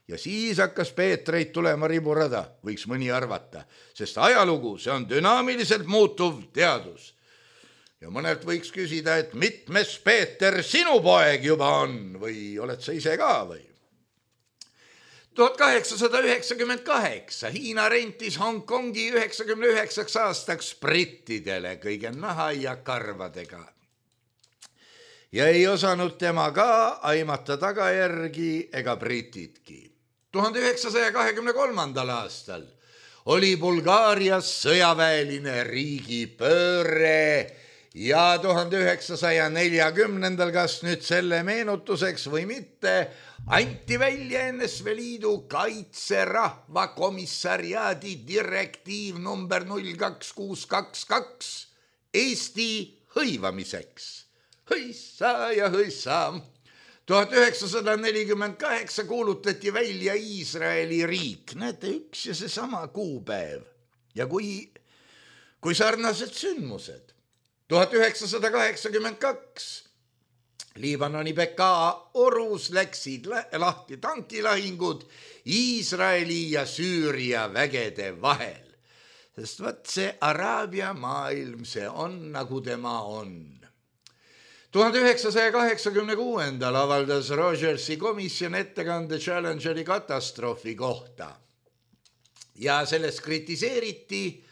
Ja siis hakkas Peetreid tulema riburada, võiks mõni arvata, sest ajalugu, see on dünaamiliselt muutuv teadus. Ja mõnelt võiks küsida, et mitmes Peeter sinu poeg juba on või oled sa ise ka või? 1898 Hiina rentis Hongkongi 99 aastaks brittidele kõige naha ja karvadega. Ja ei osanud tema ka aimata tagajärgi ega britidki. 1923. aastal oli Bulgaarias sõjaväeline riigipööre ja 1940. kas nüüd selle meenutuseks või mitte, anti välja NSV Liidu kaitserahvakomissariaadi direktiiv number 02622 Eesti hõivamiseks. Hõissa ja hõissa. 1948 kuulutati välja Iisraeli riik. Näete, üks ja seesama kuupäev. Ja kui sarnased sündmused. 1982 Liibanoni Bekaa orus läksid lahti tankilahingud Iisraeli ja Süüria vägede vahel. Sest võt see Araabia maailm, see on nagu tema on. 1986. avaldas Rogersi komisjon ettekande Challengeri katastroofi kohta. Ja selles kritiseeriti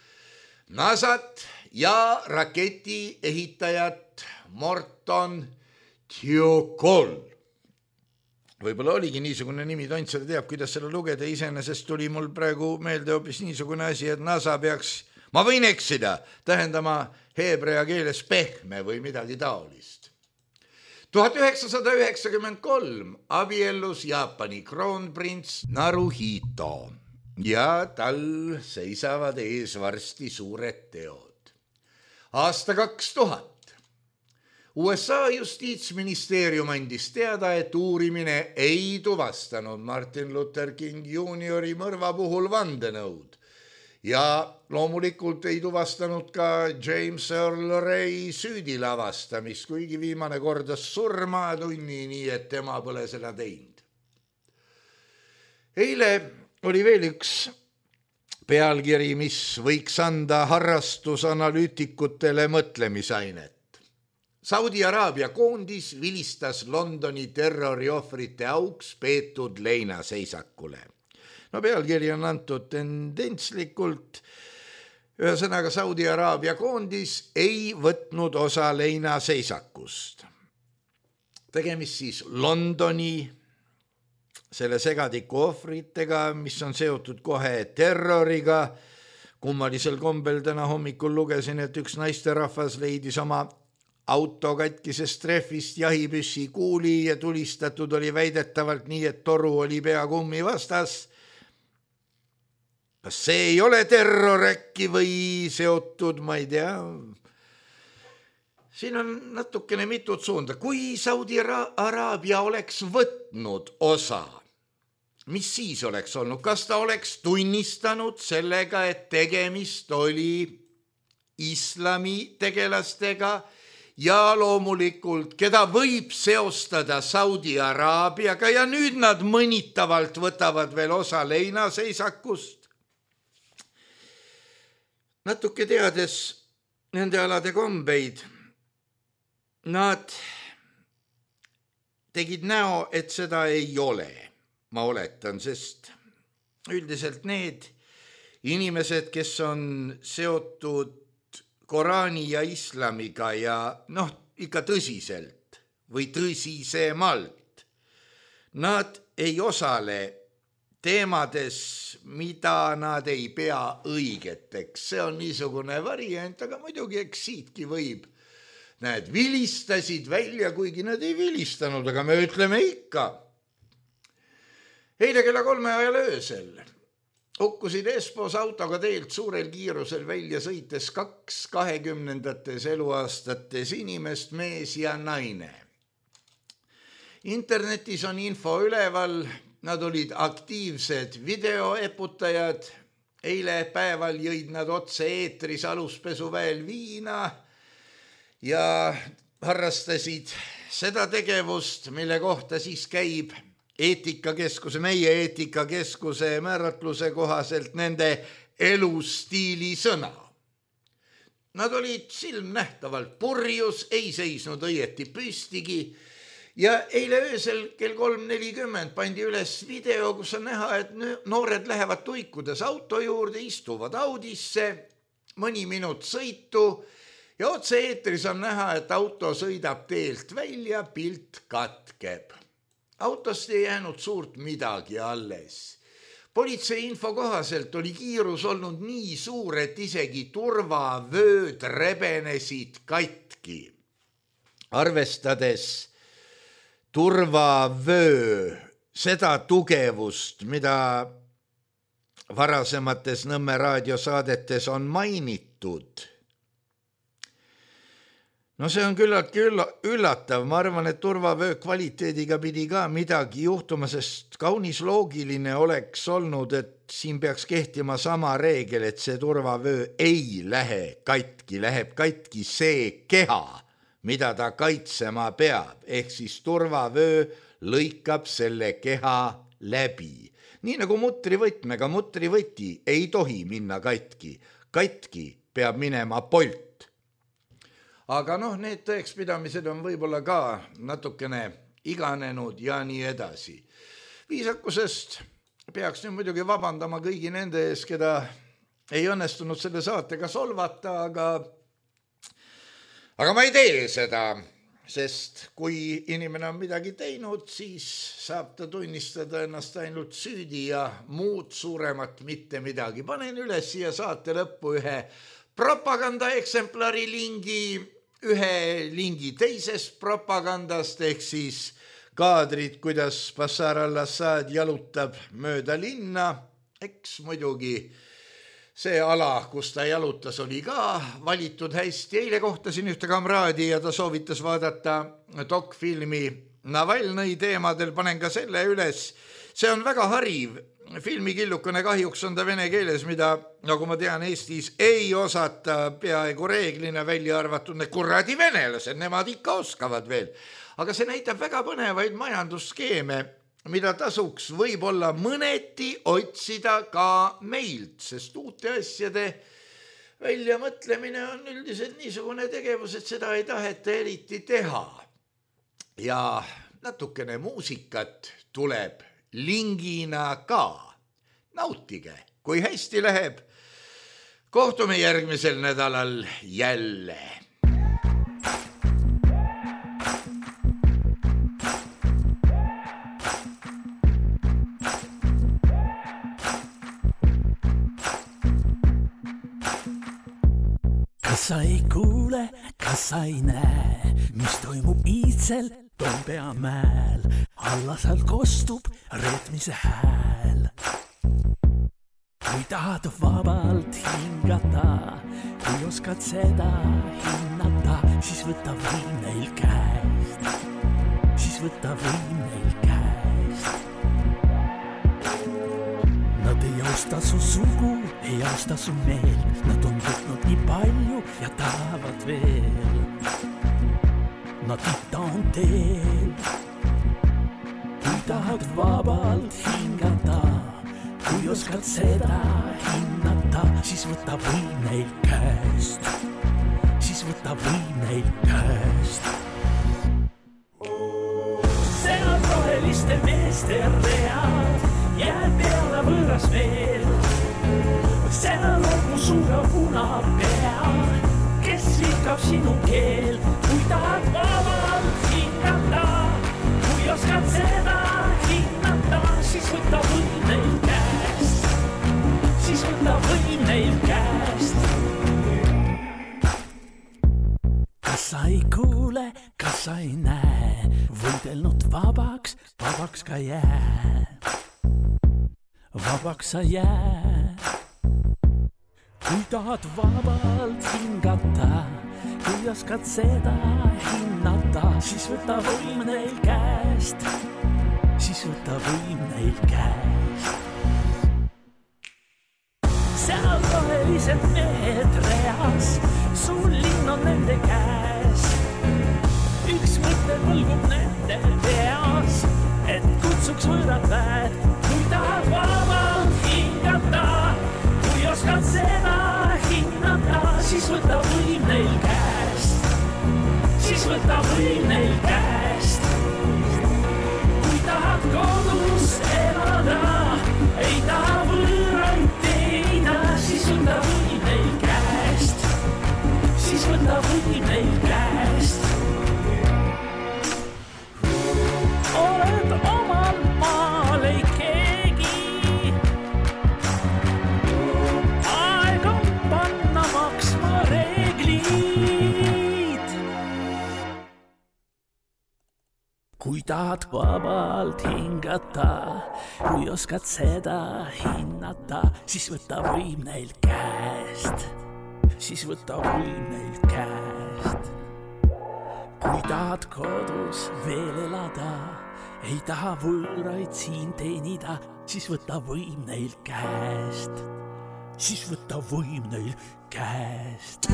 NASAt ja raketi ehitajat Morton Thiokol. Võib-olla oligi niisugune nimi, Tont seda teab, kuidas selle lugeda, iseenesest tuli mul praegu meelde hoopis niisugune asi, et NASA peaks, ma võin eksida, tähendama heebrea keeles pehme või midagi taolist. 1993 abiellus Jaapani kroonprints Naruhito ja tal seisavad ees varsti suured teod. Aasta 2000 USA justiitsministeerium andis teada, et uurimine ei tuvastanud Martin Luther King Juniori mõrva puhul vandenõud ja loomulikult ei tuvastanud ka James Earl Ray süüdi lavastamist, kuigi viimane kordas surmatunni, nii et tema pole seda teinud. Eile oli veel üks pealkiri, mis võiks anda harrastusanalüütikutele mõtlemisainet. Saudi Araabia koondis vilistas Londoni terroriohvrite auks peetud leinaseisakule. No pealkiri on antud tendentslikult, ühesõnaga Saudi Araabia koondis ei võtnud osa leinaseisakust. Tegemist siis Londoni selle segadiku ohvritega, mis on seotud kohe terroriga. Kummalisel kombel täna hommikul lugesin, et üks naisterahvas leidis oma auto katkisest trehvist jahipüssi kuuli ja tulistatud oli väidetavalt nii, et toru oli pea kummi vastas. Kas see ei ole terror äkki või seotud, ma ei tea. Siin on natukene mitut suunda. Kui Saudi Araabia oleks võtnud osa, mis siis oleks olnud? Kas ta oleks tunnistanud sellega, et tegemist oli islami tegelastega ja loomulikult, keda võib seostada Saudi Araabiaga ja nüüd nad mõnitavalt võtavad veel osa leinaseisakust? Natuke teades nende alade kombeid, nad tegid näo, et seda ei ole, ma oletan, sest üldiselt need inimesed, kes on seotud Koraani ja islamiga ja ikka tõsiselt või tõsisemalt, nad ei osale teemades, mida nad ei pea õigeteks. See on niisugune variant, aga muidugi eks siitki võib. Näed, vilistasid välja, kuigi nad ei vilistanud, aga me ütleme ikka. Eile kella 3 ajal öösel hukkusid Espos autoga teelt suurel kiirusel välja sõites 2 20. eluaastates inimest, mees ja naine. Internetis on info üleval, nad olid aktiivsed videoeputajad. Eile päeval jõid nad otse eetris aluspesuväel viina ja harrastasid seda tegevust, mille kohta siis käib meie eetikakeskuse määratluse kohaselt nende elustiili sõna. Nad olid silmnähtavalt purjus, ei seisnud õieti püstigi ja eile öösel kell 3:40 pandi üles video, kus on näha, et noored lähevad tuikudes auto juurde, istuvad Audisse, mõni minut sõitu ja otse eetris on näha, et auto sõidab teelt välja, pilt katkeb. Autost ei jäänud suurt midagi alles. Politsei info kohaselt oli kiirus olnud nii suur, et isegi turvavööd rebenesid katki. Arvestades turvavöö seda tugevust, mida varasemates Nõmme raadiosaadetes on mainitud. No see on küllaltki üllatav, ma arvan, et turvavöö kvaliteediga pidi ka midagi juhtuma, sest kaunis loogiline oleks olnud, et siin peaks kehtima sama reegel, et see turvavöö ei lähe katki, läheb katki see keha, mida ta kaitsema peab, ehk siis turvavöö lõikab selle keha läbi. Nii nagu mutrivõtmega, mutrivõti ei tohi minna katki, katki peab minema polt. Aga need tõekspidamised on võib-olla ka natukene iganenud ja nii edasi. Viisakusest peaks nüüd muidugi vabandama kõigi nende ees, keda ei õnnestunud selle saatega solvata, aga ma ei tee seda, sest kui inimene on midagi teinud, siis saab ta tunnistada ennast ainult süüdi ja muud suuremat mitte midagi. Panen üles siia saate lõppu ühe propagandaeksemplari lingi, ühe lingi teisest propagandast, ehk siis kaadrid, kuidas Bashar al-Assad jalutab mööda linna. Eks muidugi see ala, kus ta jalutas, oli ka valitud hästi. Eile kohtasin ühte kamraadi ja ta soovitas vaadata dokfilmi Navalnõi teemadel, panen ka selle üles. See on väga hariv. Filmikillukene, kahjuks on ta vene keeles, mida, nagu ma tean, Eestis ei osata peaaegu reeglina, välja arvatud need kuradi venelased, nemad ikka oskavad veel. Aga see näitab väga põnevaid majandusskeeme, mida tasuks võib-olla mõneti otsida ka meilt, sest uute asjade väljamõtlemine on üldiselt niisugune tegevus, et seda ei taheta eriti teha. Ja natukene muusikat tuleb lingina ka. Nautige, kui hästi läheb. Kohtume järgmisel nädalal jälle. Kas sa ei kuule, kas sa ei näe, mis toimub iitsel Toompea mäel, alla seal kostub reetmise hääl. Kui tahad vabalt hingata, kui oskad seda hinnata, siis võta võim neil käest, siis võta võim neil käest. Nad ei austa su sugu, ei austa su meelt, nad on võtnud nii palju ja tahavad veel. Nad ita on teel, kui tahad vabalt hingata, kui oskad seda hinnata, siis võta võim neil käest, siis võta võim neil käest. Seal roheliste meeste read jääb peale võõras veel, seal on mu suure punapea, kes viikab sinu keel, kui tahad vabalt hingata, kui oskad seda hinnata, siis võta võim neil käest, siis võta võim neil käest. Kas sa ei kuule, kas sa ei näe, võidelnud vabaks, vabaks ka jää. vabaks sa jääd. Kui tahad vabalt hingata, kui oskad seda hinnata, siis võta võim neil käest, siis võta võim neil käest. Seal rohelised mehed reas, sul linn on nende käes. Üks mõte võlgub nende peas, et kutsuks võõrad väed. Kui tahad vabalt hingata, kui oskad seda hinnata, siis võta võim neil käest, siis võta võim neil käest. Kui tahad kodus elada, ei taha võõraid teida, siis võta võim neil käest, siis võta võim neil käest. Oled omal maal ei keegi, aeg on panna maksma reeglid. Kui tahad vabalt hingata, kui oskad seda hinnata, siis võta võim neil käest, siis võta võim neil käest. Kui tahad kodus veel elada, ei taha võõraid siin teenida, siis võta võim neil käest, siis võta võim neil käest.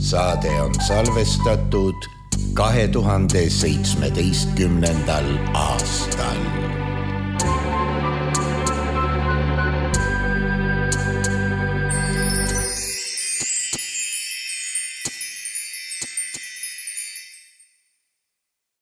Saade on salvestatud 2017. aastal.